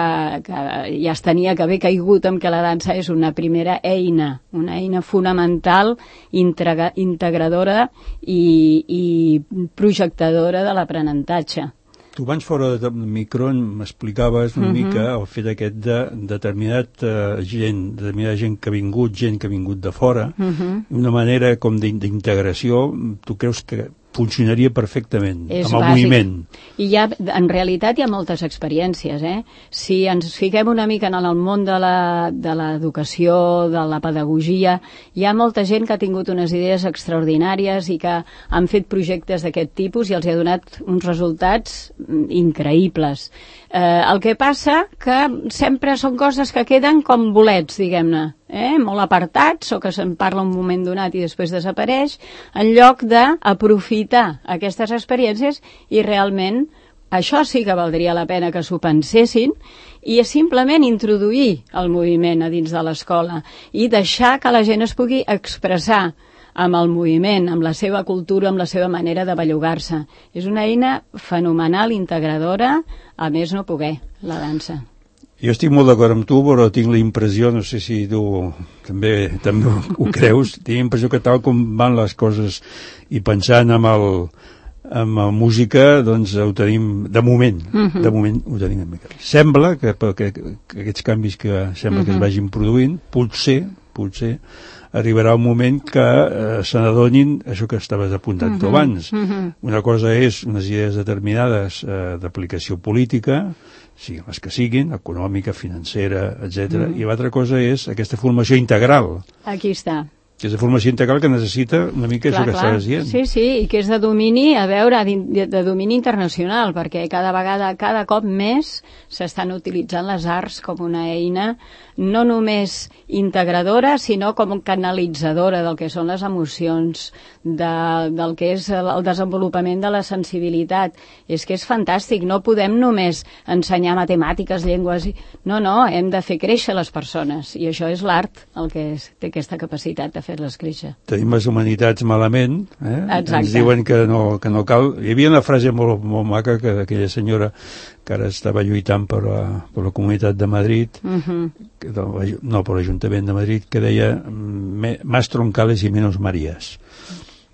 que ja es tenia que haver caigut amb que la dansa és una primera eina, una eina fonamental, integra, integradora i, i projectadora de l'aprenentatge. Tu abans fora de micro m'explicaves una uh-huh. mica el fet aquest de determinat uh, gent, determinada gent que ha vingut, gent que ha vingut de fora, uh-huh. una manera com d'integració, tu creus que funcionaria perfectament, és amb el bàsic. moviment. I hi ha, en realitat hi ha moltes experiències, eh? Si ens fiquem una mica en el món de la, de l'educació, de la pedagogia, hi ha molta gent que ha tingut unes idees extraordinàries i que han fet projectes d'aquest tipus i els ha donat uns resultats increïbles. Eh, el que passa que sempre són coses que queden com bolets, diguem-ne, eh? molt apartats o que se'n parla un moment donat i després desapareix, en lloc d'aprofitar aquestes experiències i realment això sí que valdria la pena que s'ho pensessin i simplement introduir el moviment a dins de l'escola i deixar que la gent es pugui expressar amb el moviment, amb la seva cultura, amb la seva manera de bellugar-se. És una eina fenomenal, integradora, a més no poder, la dansa. Jo estic molt d'acord amb tu, però tinc la impressió, no sé si tu també, també ho creus, tinc la impressió que tal com van les coses i pensant amb el, amb la música, doncs ho tenim, de moment, uh-huh. de moment ho tenim una mica. Sembla que, que, que aquests canvis que sembla uh-huh. que es vagin produint, potser, potser, arribarà un moment que eh, se n'adonin això que estaves apuntant uh-huh. tu abans. Uh-huh. Una cosa és unes idees determinades eh, d'aplicació política, siguin les que siguin, econòmica, financera, etcètera, uh-huh. i l'altra cosa és aquesta formació integral. Aquí està. Que és de formació integral que necessita una mica clar, això que clar. estàs dient. Sí, sí, i que és de domini, a veure, de, de domini internacional, perquè cada vegada, cada cop més s'estan utilitzant les arts com una eina no només integradora, sinó com canalitzadora del que són les emocions, de, del que és el, el desenvolupament de la sensibilitat. És que és fantàstic, no podem només ensenyar matemàtiques, llengües... No, no, hem de fer créixer les persones, i això és l'art el que és, té aquesta capacitat de fer-les créixer. Tenim les humanitats malament, eh? Exacte. Ens diuen que no, que no cal... Hi havia una frase molt, molt maca que d'aquella senyora que ara estava lluitant per la, per la Comunitat de Madrid, uh-huh. que, no, per l'Ajuntament de Madrid, que deia más troncales i menos Marías.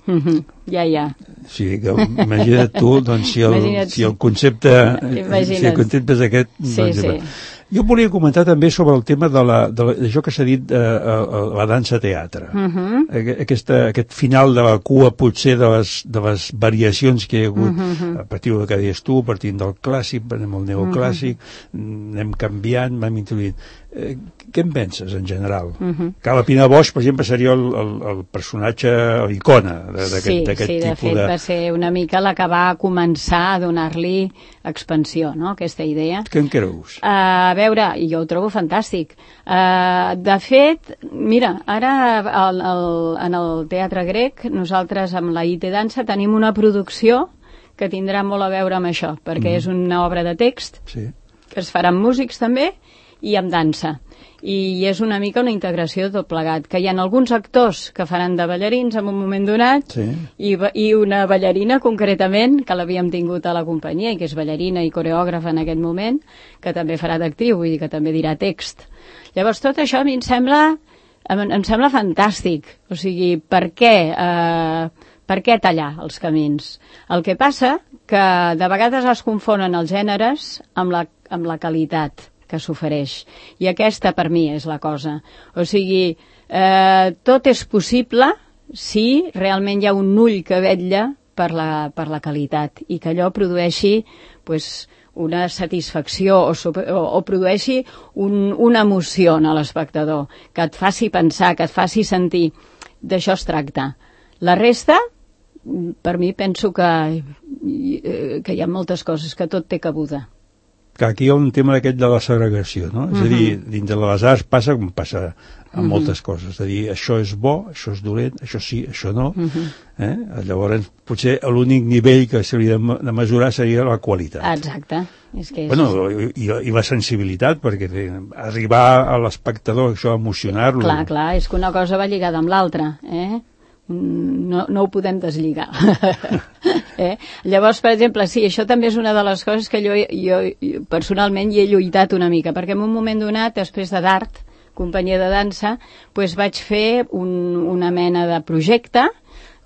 Uh-huh. Ja, ja. O sigui, que imagina't tu, doncs, si el, si el concepte... Imagina't. Si el concepte és aquest... Sí, doncs, sí. Jo volia comentar també sobre el tema de la, de la, d'això que s'ha dit, eh, la dansa-teatre. Uh-huh. Aquesta, aquest final de la cua, potser, de les, de les variacions que hi ha hagut, uh-huh. a partir del que deies tu, partint del clàssic, anem al neoclàssic, uh-huh. anem canviant, vam introduint. Eh, què en penses, en general? Uh-huh. Carla Pina Bosch, per exemple, seria el, el, el personatge, l'icona d'aquest, sí, d'aquest sí, tipus de... Sí, de fet, va ser una mica la que va començar a donar-li expansió, no?, aquesta idea. Què en creus? Uh, a veure, jo ho trobo fantàstic. Uh, de fet, mira, ara el, el, en el Teatre Grec, nosaltres amb la I T Dansa tenim una producció que tindrà molt a veure amb això, perquè mm. és una obra de text, sí. que es farà amb músics també, i amb dansa. I és una mica una integració de tot plegat, que hi ha alguns actors que faran de ballarins en un moment donat, sí. i, i una ballarina concretament, que l'havíem tingut a la companyia i que és ballarina i coreògrafa en aquest moment, que també farà d'actriu, vull dir que també dirà text. Llavors tot això a mi em sembla, em, em sembla fantàstic. O sigui, per què, eh, per què tallar els camins? El que passa que de vegades es confonen els gèneres amb la, amb la qualitat que s'ofereix. I aquesta, per mi, és la cosa. O sigui, eh, tot és possible si realment hi ha un ull que vetlla per la, per la qualitat i que allò produeixi pues, una satisfacció o, o, o produeixi un, una emoció a l'espectador, que et faci pensar, que et faci sentir. D'això es tracta. La resta, per mi, penso que, que hi ha moltes coses, que tot té cabuda. Que aquí hi ha un tema d'aquest de la segregació, no? Uh-huh. És a dir, dintre de les arts passa com passa amb uh-huh. moltes coses. És a dir, això és bo, això és dolent, això sí, això no. Uh-huh. Eh? Llavors, potser l'únic nivell que s'hauria de mesurar seria la qualitat. Exacte. És que és... Bueno, i, i la sensibilitat, perquè arribar a l'espectador, això, emocionar-lo... Clar, clar, és que una cosa va lligada amb l'altra, eh? No, no ho podem deslligar. eh? Llavors, per exemple, sí, això també és una de les coses que jo, jo, jo personalment hi he lluitat una mica, perquè en un moment donat, després de d'art, companyia de dansa, doncs vaig fer un, una mena de projecte,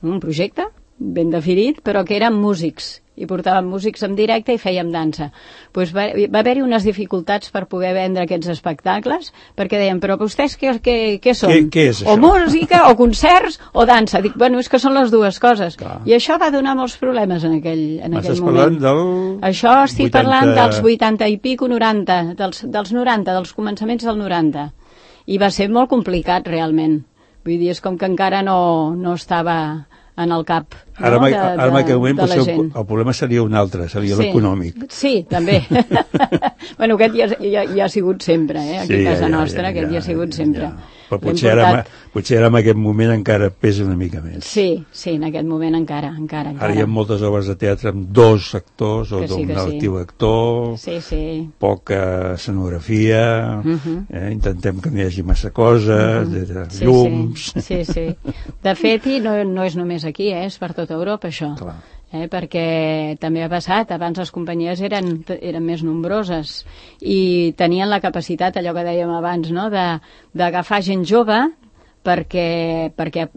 un projecte ben definit, però que eren músics, i portàvem músics en directe i fèiem dansa. Pues va, va haver-hi unes dificultats per poder vendre aquests espectacles, perquè deien, però vostès què, què, què són? Què, què és això? O música, o concerts, o dansa. Dic, bueno, és que són les dues coses. Clar. I això va donar molts problemes en aquell, en aquell Estàs moment. parlant del... Això estic vuitanta... parlant dels vuitanta i pico, noranta, dels, dels noranta, dels començaments del noranta. I va ser molt complicat, realment. Vull dir, és com que encara no, no estava en el cap, Ara, no? de, de, ara en aquell moment de la el, gent. el problema seria un altre, seria Sí. l'econòmic. Sí, també. Bueno, aquest ja, ja, ja ha sigut sempre, eh? Aquí Sí, a casa ja, ja, nostra, ja, aquest ja, ja, ha sigut ja, sempre. ja. Però L'hem potser ara, portat- potser ara en aquest moment encara pesa una mica més. Sí, sí, en aquest moment encara, encara, encara. Ara hi ha moltes obres de teatre amb dos actors o Que sí, d'un que sí. actiu actor, Sí, sí. poca escenografia, Mhm. eh? Intentem que no hi hagi massa coses, Mhm. uh -huh. Sí, llums... Sí, sí, sí. De fet, i no, no és només aquí, eh? És per tota Europa, això. Clar. Eh? Perquè també ha passat, abans les companyies eren, eren més nombroses i tenien la capacitat, allò que dèiem abans, no? de, d'agafar gent jove perquè, perquè,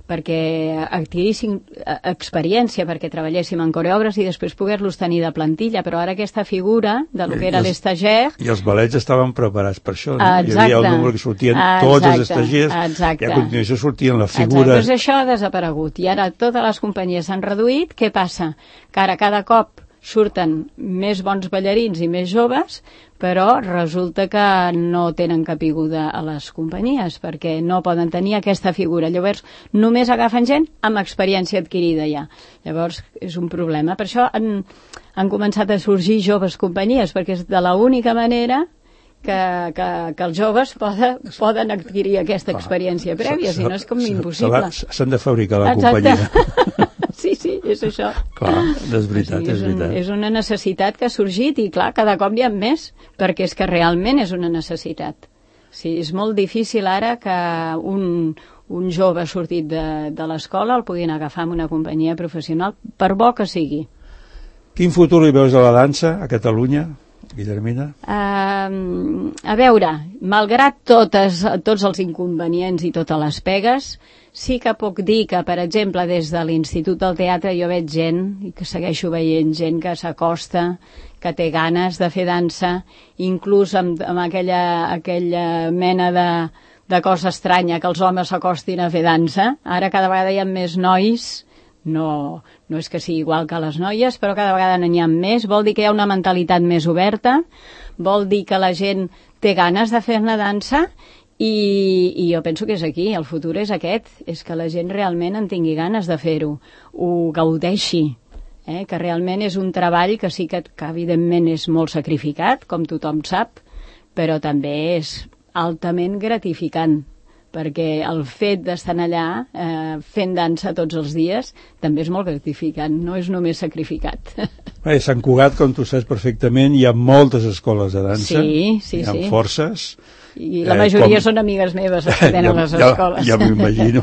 perquè adquirissin eh, experiència, perquè treballéssim en coreògrafs i després poder-los tenir de plantilla, però ara aquesta figura de lo que era I els- l'estagiaire. I els balets estaven preparats per això, no? Exacte. Hi havia el número que sortien Exacte. tots els estagiers Exacte. i a continuació sortien les Exacte, figures... doncs això ha desaparegut i ara totes les companyies s'han reduït. Què passa? Que ara cada cop surten més bons ballarins i més joves, però resulta que no tenen capiguda a les companyies perquè no poden tenir aquesta figura. Llavors, només agafen gent amb experiència adquirida ja. Llavors, és un problema. Per això han, han començat a sorgir joves companyies, perquè és de l'única manera que, que, que els joves poden, poden adquirir aquesta experiència prèvia, si no és com Se- se- impossible. se l'ha- S'han de fabricar la Exacte. companyia. Sí, sí, és això. Clar, és veritat, O sigui, és un, veritat. és una necessitat que ha sorgit i, clar, cada cop n'hi ha més, perquè és que realment és una necessitat. Sí, és molt difícil ara que un, un jove sortit de, de l'escola el puguin agafar amb una companyia professional, per bo que sigui. Quin futur hi veus a la dansa a Catalunya, Guillermina? Uh, a veure, malgrat totes, tots els inconvenients i totes les pegues, sí que puc dir que, per exemple, des de l'Institut del Teatre jo veig gent, i que segueixo veient gent que s'acosta, que té ganes de fer dansa, inclús amb, amb aquella, aquella mena de, de cosa estranya que els homes s'acostin a fer dansa. Ara cada vegada hi ha més nois, no, no és que sigui igual que les noies, però cada vegada n'hi ha més, vol dir que hi ha una mentalitat més oberta, vol dir que la gent té ganes de fer-ne dansa i, i jo penso que és aquí, el futur és aquest, és que la gent realment en tingui ganes de fer-ho, ho gaudeixi, eh? Que realment és un treball que sí que, que evidentment és molt sacrificat, com tothom sap, però també és altament gratificant, perquè el fet d'estar allà eh, fent dansa tots els dies també és molt gratificant, no és només sacrificat. Bé, Sant Cugat, com tu saps perfectament, hi ha moltes escoles de dansa, Sí, sí, hi ha sí. forces. I la majoria com- són amigues meves que tenen les ja, escoles. Ja, ja m'imagino.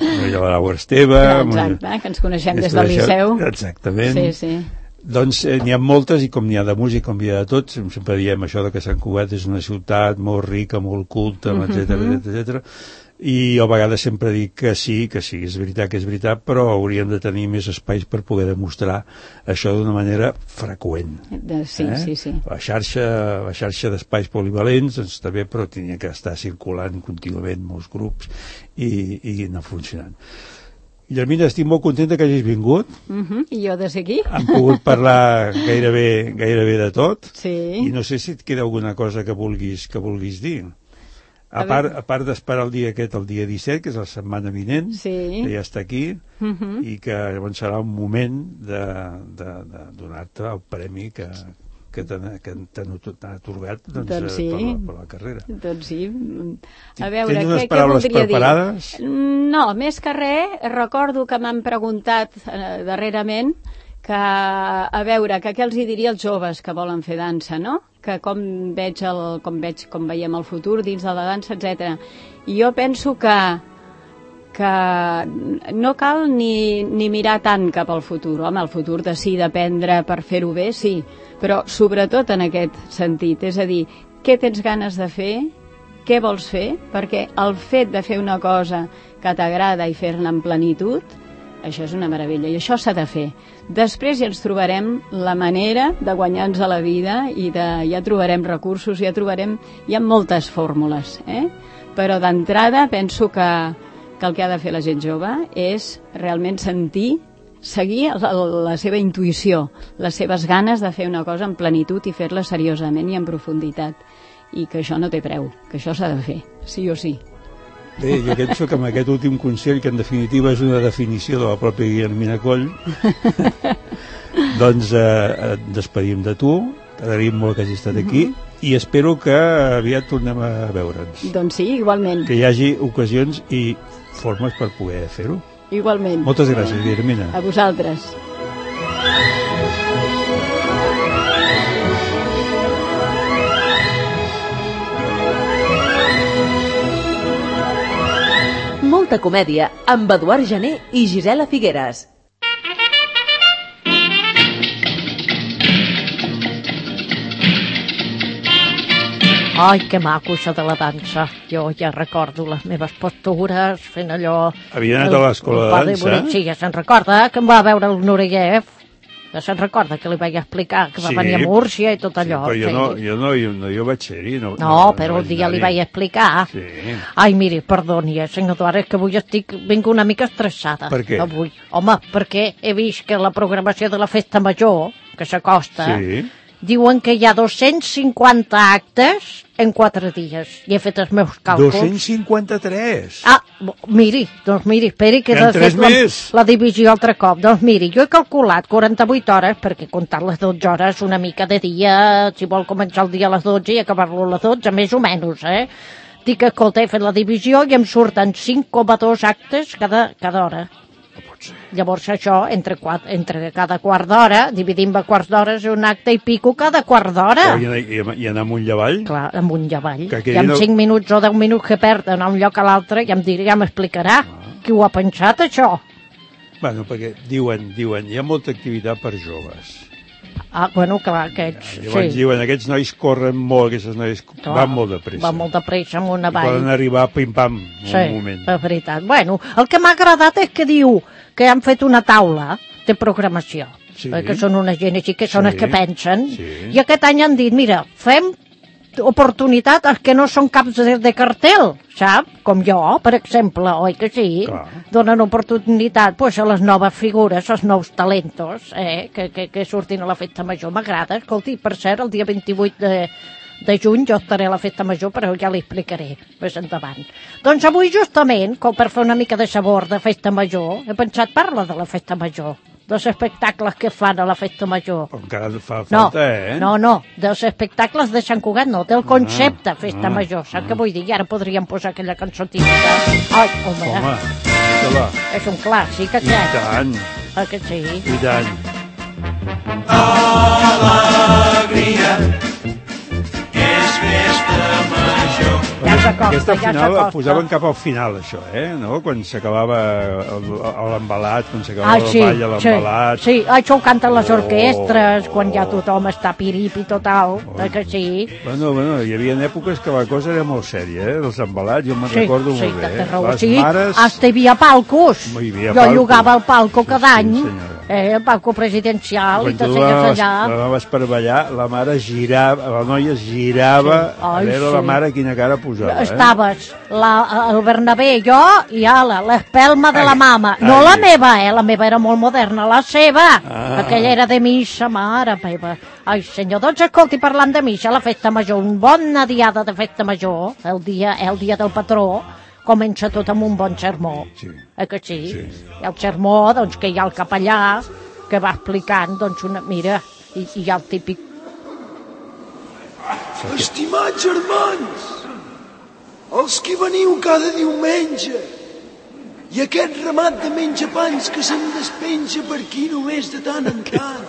Hi ha la Laura Esteve... Exacte, que ens coneixem ens des del coneixem- liceu. Exactament. Sí, sí. Doncs eh, n'hi ha moltes, i com n'hi ha de música, com n'hi ha de tot, sempre diem això de que Sant Cugat és una ciutat molt rica, molt culta, Mhm. etcètera, etcètera. I jo a vegades sempre dic que sí, que sí, és veritat que és veritat, però hauríem de tenir més espais per poder demostrar això d'una manera freqüent. De, sí, eh? sí, sí. La xarxa, la xarxa d'espais polivalents doncs, està bé, però tenia que estar circulant contínuament molts grups i, i anar funcionant. Guillermina, estic molt contenta que hagis vingut. Uh -huh. I jo des d'aquí? Hem pogut parlar gairebé, gairebé de tot. Sí. I no sé si et queda alguna cosa que vulguis, que vulguis dir. A, A part, veure. a part d'esperar el dia aquest, el dia disset, que és la setmana vinent, Sí. que ja està aquí, Uh -huh. i que llavors serà un moment de, de, de donar-te el premi que, que t'han que t'han t'han atorgat doncs, Doncs sí. per, la, per la carrera. Doncs sí. A veure, Tens unes què, què paraules voldria preparades? dir? No, més que res, recordo que m'han preguntat eh, darrerament que, a veure, que què els hi diria als joves que volen fer dansa, no? Que com veig, el, com veig com veiem el futur dins de la dansa, etcètera. I jo penso que que no cal ni, ni mirar tant cap al futur. Home, el futur de sí d'aprendre per fer-ho bé, sí, però sobretot en aquest sentit, és a dir, què tens ganes de fer, què vols fer, perquè el fet de fer una cosa que t'agrada i fer-la en plenitud, això és una meravella, i això s'ha de fer. Després ja ens trobarem la manera de guanyar-nos a la vida i de, ja trobarem recursos, ja trobarem, hi ha moltes fórmules, eh? Però d'entrada penso que, que el que ha de fer la gent jove és realment sentir, seguir la, la seva intuïció, les seves ganes de fer una cosa en plenitud i fer-la seriosament i en profunditat, i que això no té preu, que això s'ha de fer, sí o sí. Bé, jo penso que amb aquest últim consell, que en definitiva és una definició de la pròpia Guillermina Coll, doncs eh, et despedim de tu, t'agraïm molt que hagis estat aquí, mm-hmm. i espero que aviat tornem a veure'ns. Doncs sí, igualment. Que hi hagi ocasions i formes per poder fer-ho. Igualment. Moltes gràcies, Guillermina. A vosaltres. Molta comèdia amb Eduard Jané i Gisela Figueres. Ai, que maco això de la dansa. Jo ja recordo les meves postures fent allò... Havia anat a l'escola de dansa? Sí, ja se'n recorda que em va veure el Nureyev. Ja se'n recorda que li vaig explicar que va sí, venir a Múrcia i tot allò. Sí, però jo, sí. no, jo, no, jo, no, jo vaig ser-hi. No, no, no, però no un dia li vaig explicar. Sí. Ai, miri, perdoni, eh, senyor Eduard, és que avui estic, vinc una mica estressada. Per què? Avui. Home, perquè he vist que la programació de la festa major, que s'acosta, sí. diuen que hi ha dos-cents cinquanta actes en quatre dies. I he fet els meus càlculs. dos-cents cinquanta-tres? Ah, miri, doncs miri, esperi que he fet la, la divisió altre cop. Doncs miri, jo he calculat quaranta-vuit hores, perquè he comptat les dotze hores una mica de dia, si vol començar el dia a les dotze i acabar-lo a les dotze, més o menys, eh? Dic, escolta, he fet la divisió i em surten cinc coma dos actes cada, cada hora. Llavors això, entre, quatre, entre cada quart d'hora, dividim a quarts d'hora, és un acte i pico cada quart d'hora. I, i, I anar amunt i avall? Clar, amunt i avall. Que I amb no... cinc minuts o deu minuts que perd d'anar un lloc a l'altre, ja em dirà, ja m'explicarà. Ah. Qui ho ha pensat, això? Bueno, perquè diuen, diuen, hi ha molta activitat per joves. Ah, bueno, clar, aquests... Ja, llavors sí. Diuen, aquests nois corren molt, aquestes noies clar, van molt de pressa. Van molt de pressa amb una vall. I poden arribar pim-pam en sí, un moment. Sí, és veritat. Bueno, el que m'ha agradat és que diu que han fet una taula de programació. Sí. Que són una gent així, que són sí. els que pensen. Sí. I aquest any han dit, mira, fem oportunitat als que no són caps de, de cartel, sap? Com jo, per exemple, oi que sí? Clar. Donen oportunitat pues, a les noves figures, als nous talentos, eh? que, que, que surtin a la festa major. M'agrada, escolti, per cert, el dia vint-i-vuit de, de juny jo estaré a la festa major, però ja li explicaré més endavant. Doncs avui, justament, com per fer una mica de sabor de festa major, he pensat parlar de la festa major, dels espectacles que fan a la festa major. Encara fa falta, no, eh? No, no, dels espectacles de Sant Cugat, no, del concepte ah, festa ah, major. Sap ah. què vull dir? I ara podríem posar aquella cançotina. Ai, home, home és un clàssic, aquest. I tant. Ah, que sí? I tant. Alegria, que és festa major. Ja s'acosta, Aquesta ja final la s'acosta. posaven cap al final, això, eh? No? Quan s'acabava l'embalat, quan s'acabava ah, sí, el ball a l'embalat. Sí, sí, això ho canten les oh, orquestres, quan oh. ja tothom està piripi total, oh. eh, que sí? Bueno, bueno, hi havia èpoques que la cosa era molt sèria, eh? Els embalats, jo me'n sí, recordo sí, molt bé. Eh? Les sí, mares... hasta hi havia palcos. No hi havia jo palco. llogava el palco cada sí, any, senyora. eh, el palco presidencial, quan i te seies allà. La anaves per ballar, la mare girava, la noia girava, sí. Ai, a veure sí. la mare quina cara posava. Estaves la, el Bernabé, jo i ala, l'espelma de ai, la mama. ai, no la meva, eh? La meva era molt moderna, la seva. Ah. Aquella era de missa, mare meva. Ai, senyor, doncs escolti, parlant de missa, la festa major, una bona diada de festa major, el dia, el dia del patró, comença tot amb un bon sermó. Sí. Eh que sí? Sí. I el sermó, doncs, que hi ha el capellà, que va explicant, doncs, una... Mira, i, i hi ha el típic... Estimats germans, els que veniu cada diumenge, i aquest ramat de menjapans que se'n despenja per aquí només de tant en tant,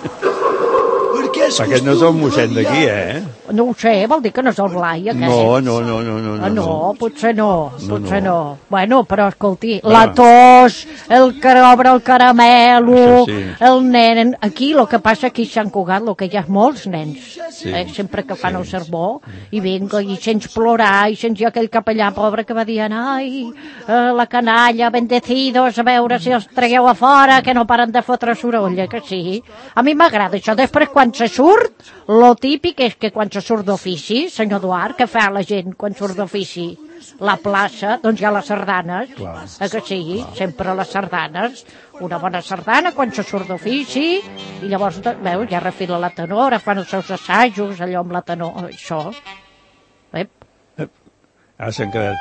perquè és aquest no és el mossèn d'aquí, eh? No ho sé, vol dir que no és el Blai, aquest? No, no, no, no, no. Ah, no, no, potser no, No, potser no. no. Bueno, però escolti, Ah. la tos, el crebre, el caramelo, Això sí. el nen... Aquí, el que passa aquí a Sant Cugat, el que hi ha molts nens, Sí. eh, sempre que fan Sí. el sermó, i vinga, i sents plorar, i sents jo aquell capellà pobre que va dient, ai, eh, la canalla, bendecidos, a veure si els tragueu a fora, que no paren de fotre soroll, eh, que sí. A mi m'agrada això. Després, quan se surt, lo típic és que quan se surt d'ofici, senyor Eduard, què fa la gent quan surt d'ofici? La plaça, doncs hi ha les sardanes, Clar. eh, que sí, sempre les sardanes, una bona sardana quan se surt d'ofici, i llavors, doncs, veus, ja refila la tenora, fan els seus assajos, allò amb la tenora, això. Ep. Ara s'han quedat...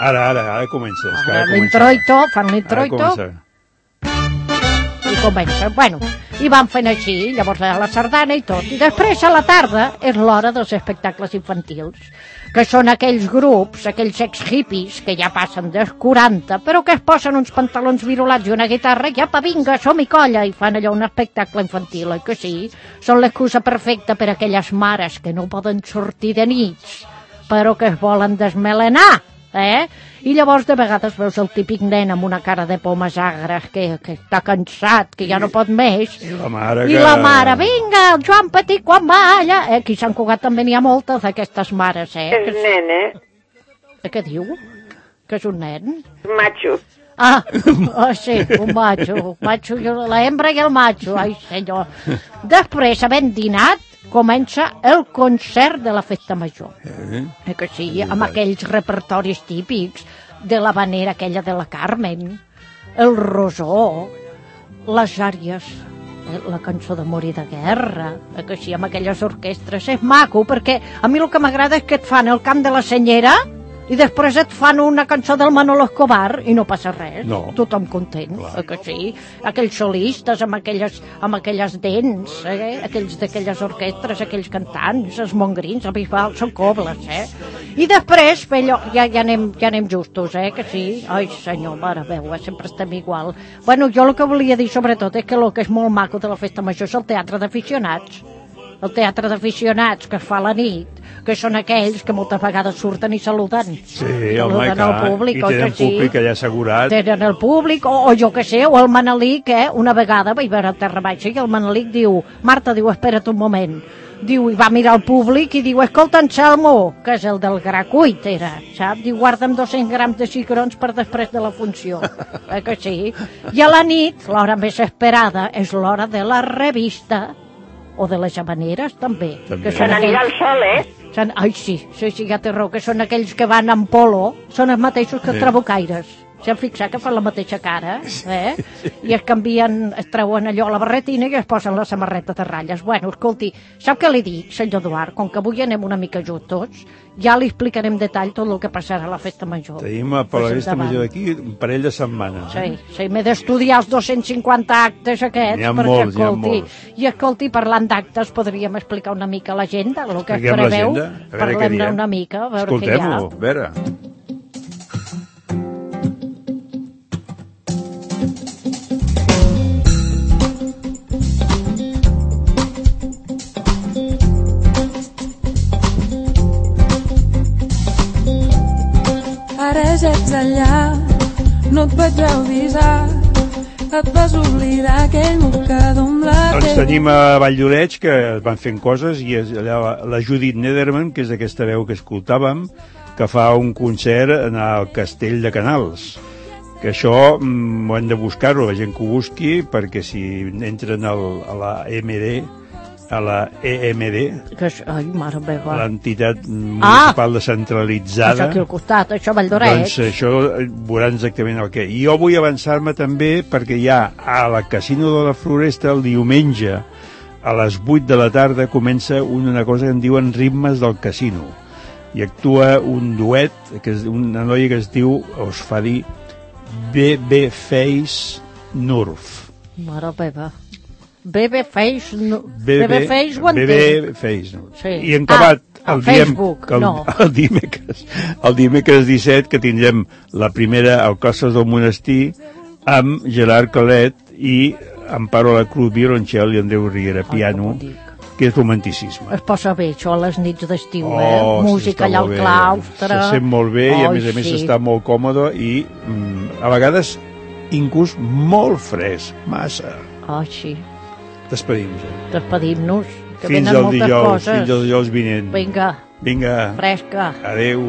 Ara, ara, ara comença. És que ara comença. L'introito, fan Ara l'introito, comença. i comencen. Bueno, i van fent així, llavors a la sardana i tot. I després, a la tarda, és l'hora dels espectacles infantils, que són aquells grups, aquells ex-hippies, que ja passen dels quaranta, però que es posen uns pantalons virolats i una guitarra, i apa, vinga, som-hi colla, i fan allò un espectacle infantil, oi que sí? Són l'excusa perfecta per a aquelles mares que no poden sortir de nits, però que es volen desmelenar, eh? I llavors de vegades veus el típic nen amb una cara de pomes agres que, que està cansat, que ja no pot més, I la mare i que... la mare, vinga, el Joan Petit quan va allà, eh? Aquí a Sant Cugat també n'hi ha moltes d'aquestes mares, eh? És nen, eh? Que, què diu? Que és un nen? Macho. Ah, oh, sí, un macho, un macho, la hembra i el macho, ai senyor. Després, havent dinat, comença el concert de la festa major. Eh? Eh que sí, amb aquells repertoris típics de la vanera aquella de la Carmen, el rosó, les àries, eh, la cançó d'amor i de guerra, eh que sí, amb aquelles orquestres. És maco, perquè a mi el que m'agrada és que et fan el cant de la senyera i després et fan una cançó del Manolo Escobar i no passa res, No. tothom content, eh que sí? Aquells solistes amb aquelles, amb aquelles dents, eh? Aquells d'aquelles orquestres, aquells cantants, els mongrins, el Bisbal, són cobles, eh? I després, bé, allò, ja, ja, anem, ja anem justos, eh, que sí? Ai, senyor, mare meva, sempre estem igual. Bueno, jo el que volia dir sobretot és que el que és molt maco de la festa major és el teatre d'aficionats. El teatre d'aficionats que es fa a la nit, que són aquells que moltes vegades surten i saluden. Sí, home, Saluden clar. al públic, I oi tenen que sí? públic allà assegurat. Tenen el públic, o, o jo que sé, o el Manelic, eh? Una vegada vaig veure a Terra Baixa i el Manelic diu, Marta, diu, espera't un moment, diu, i va mirar el públic i diu, escolta, Anselmo, que és el del gra cuit, era, sap? Diu, guarda'm dos-cents grams de cigrons per després de la funció, eh que sí? I a la nit, l'hora més esperada, és l'hora de la revista, o de les havaneres, també. També. Que Se són n'anirà aquells... al sol, eh? Són, ai, sí, sí, sí, ja té raó, que són aquells que van en polo, són els mateixos que els Sí. trabucaires. S'han fixat que fan la mateixa cara, eh? I es canvien, es treuen allò a la barretina i es posen la samarreta de ratlles. Bueno, escolti, sap què li dic, senyor Eduard? Com que avui anem una mica justos, ja li explicaré en detall tot el que passarà a la festa major. Tenim a per la Pues festa endavant. major d'aquí un parell de setmanes. Sí, sí, m'he d'estudiar els dos-cents cinquanta actes aquests, N'hi ha perquè, molts, n'hi ha escolti, molts. i escolti, parlant d'actes, podríem explicar una mica l'agenda, el que es Expliquem preveu, l'agenda, a veure què parlem-ne diem. una mica, a veure què hi ha. Escoltem-ho, a veure. Ara ja ets allà, no et vaig avisar, et vas oblidar aquell mocador amb la Doncs teva... tenim a Valldoreix, que van fent coses, i és allà la Judit Nederman, que és aquesta veu que escoltàvem, que fa un concert en el Castell de Canals. Que això mm, ho hem de buscar-ho, la gent que ho busqui, perquè si entren al, a la M D, a la E M D, Que és, ai, mare meva. l'entitat municipal descentralitzada, Això aquí al costat, això a Valldoreix. doncs això veuran exactament el que. I jo vull avançar-me també perquè hi ha a la Casino de la Floresta el diumenge a les vuit de la tarda comença una cosa que en diuen ritmes del casino i actua un duet, que és una noia que es diu, o es fa dir B B Face Nurf. Mare meva. Babyface, no. B B Babyface ho entenc. B B Face Nurf. Sí. I hem acabat Ah, el, a diem, Facebook, que el, no. el, dimecres, el dimecres disset que tindrem la primera al Costes del Monestir amb Gerard Colet i Amparo la Cruz violoncel i Andreu Riera piano, Ai, que que és romanticisme. Es posa bé, això, a les nits d'estiu, Oh, eh? sí, Música està allà al molt bé. claustre. Se sent molt bé i a Oi, més a més sí. està molt còmode i mm, a vegades inclús molt fresc, massa. Oh, sí. Despedim-nos. Despedim-nos, que Fins venen al moltes dijous, coses. fins al dijous vinent. Vinga, Vinga, fresca. adeu.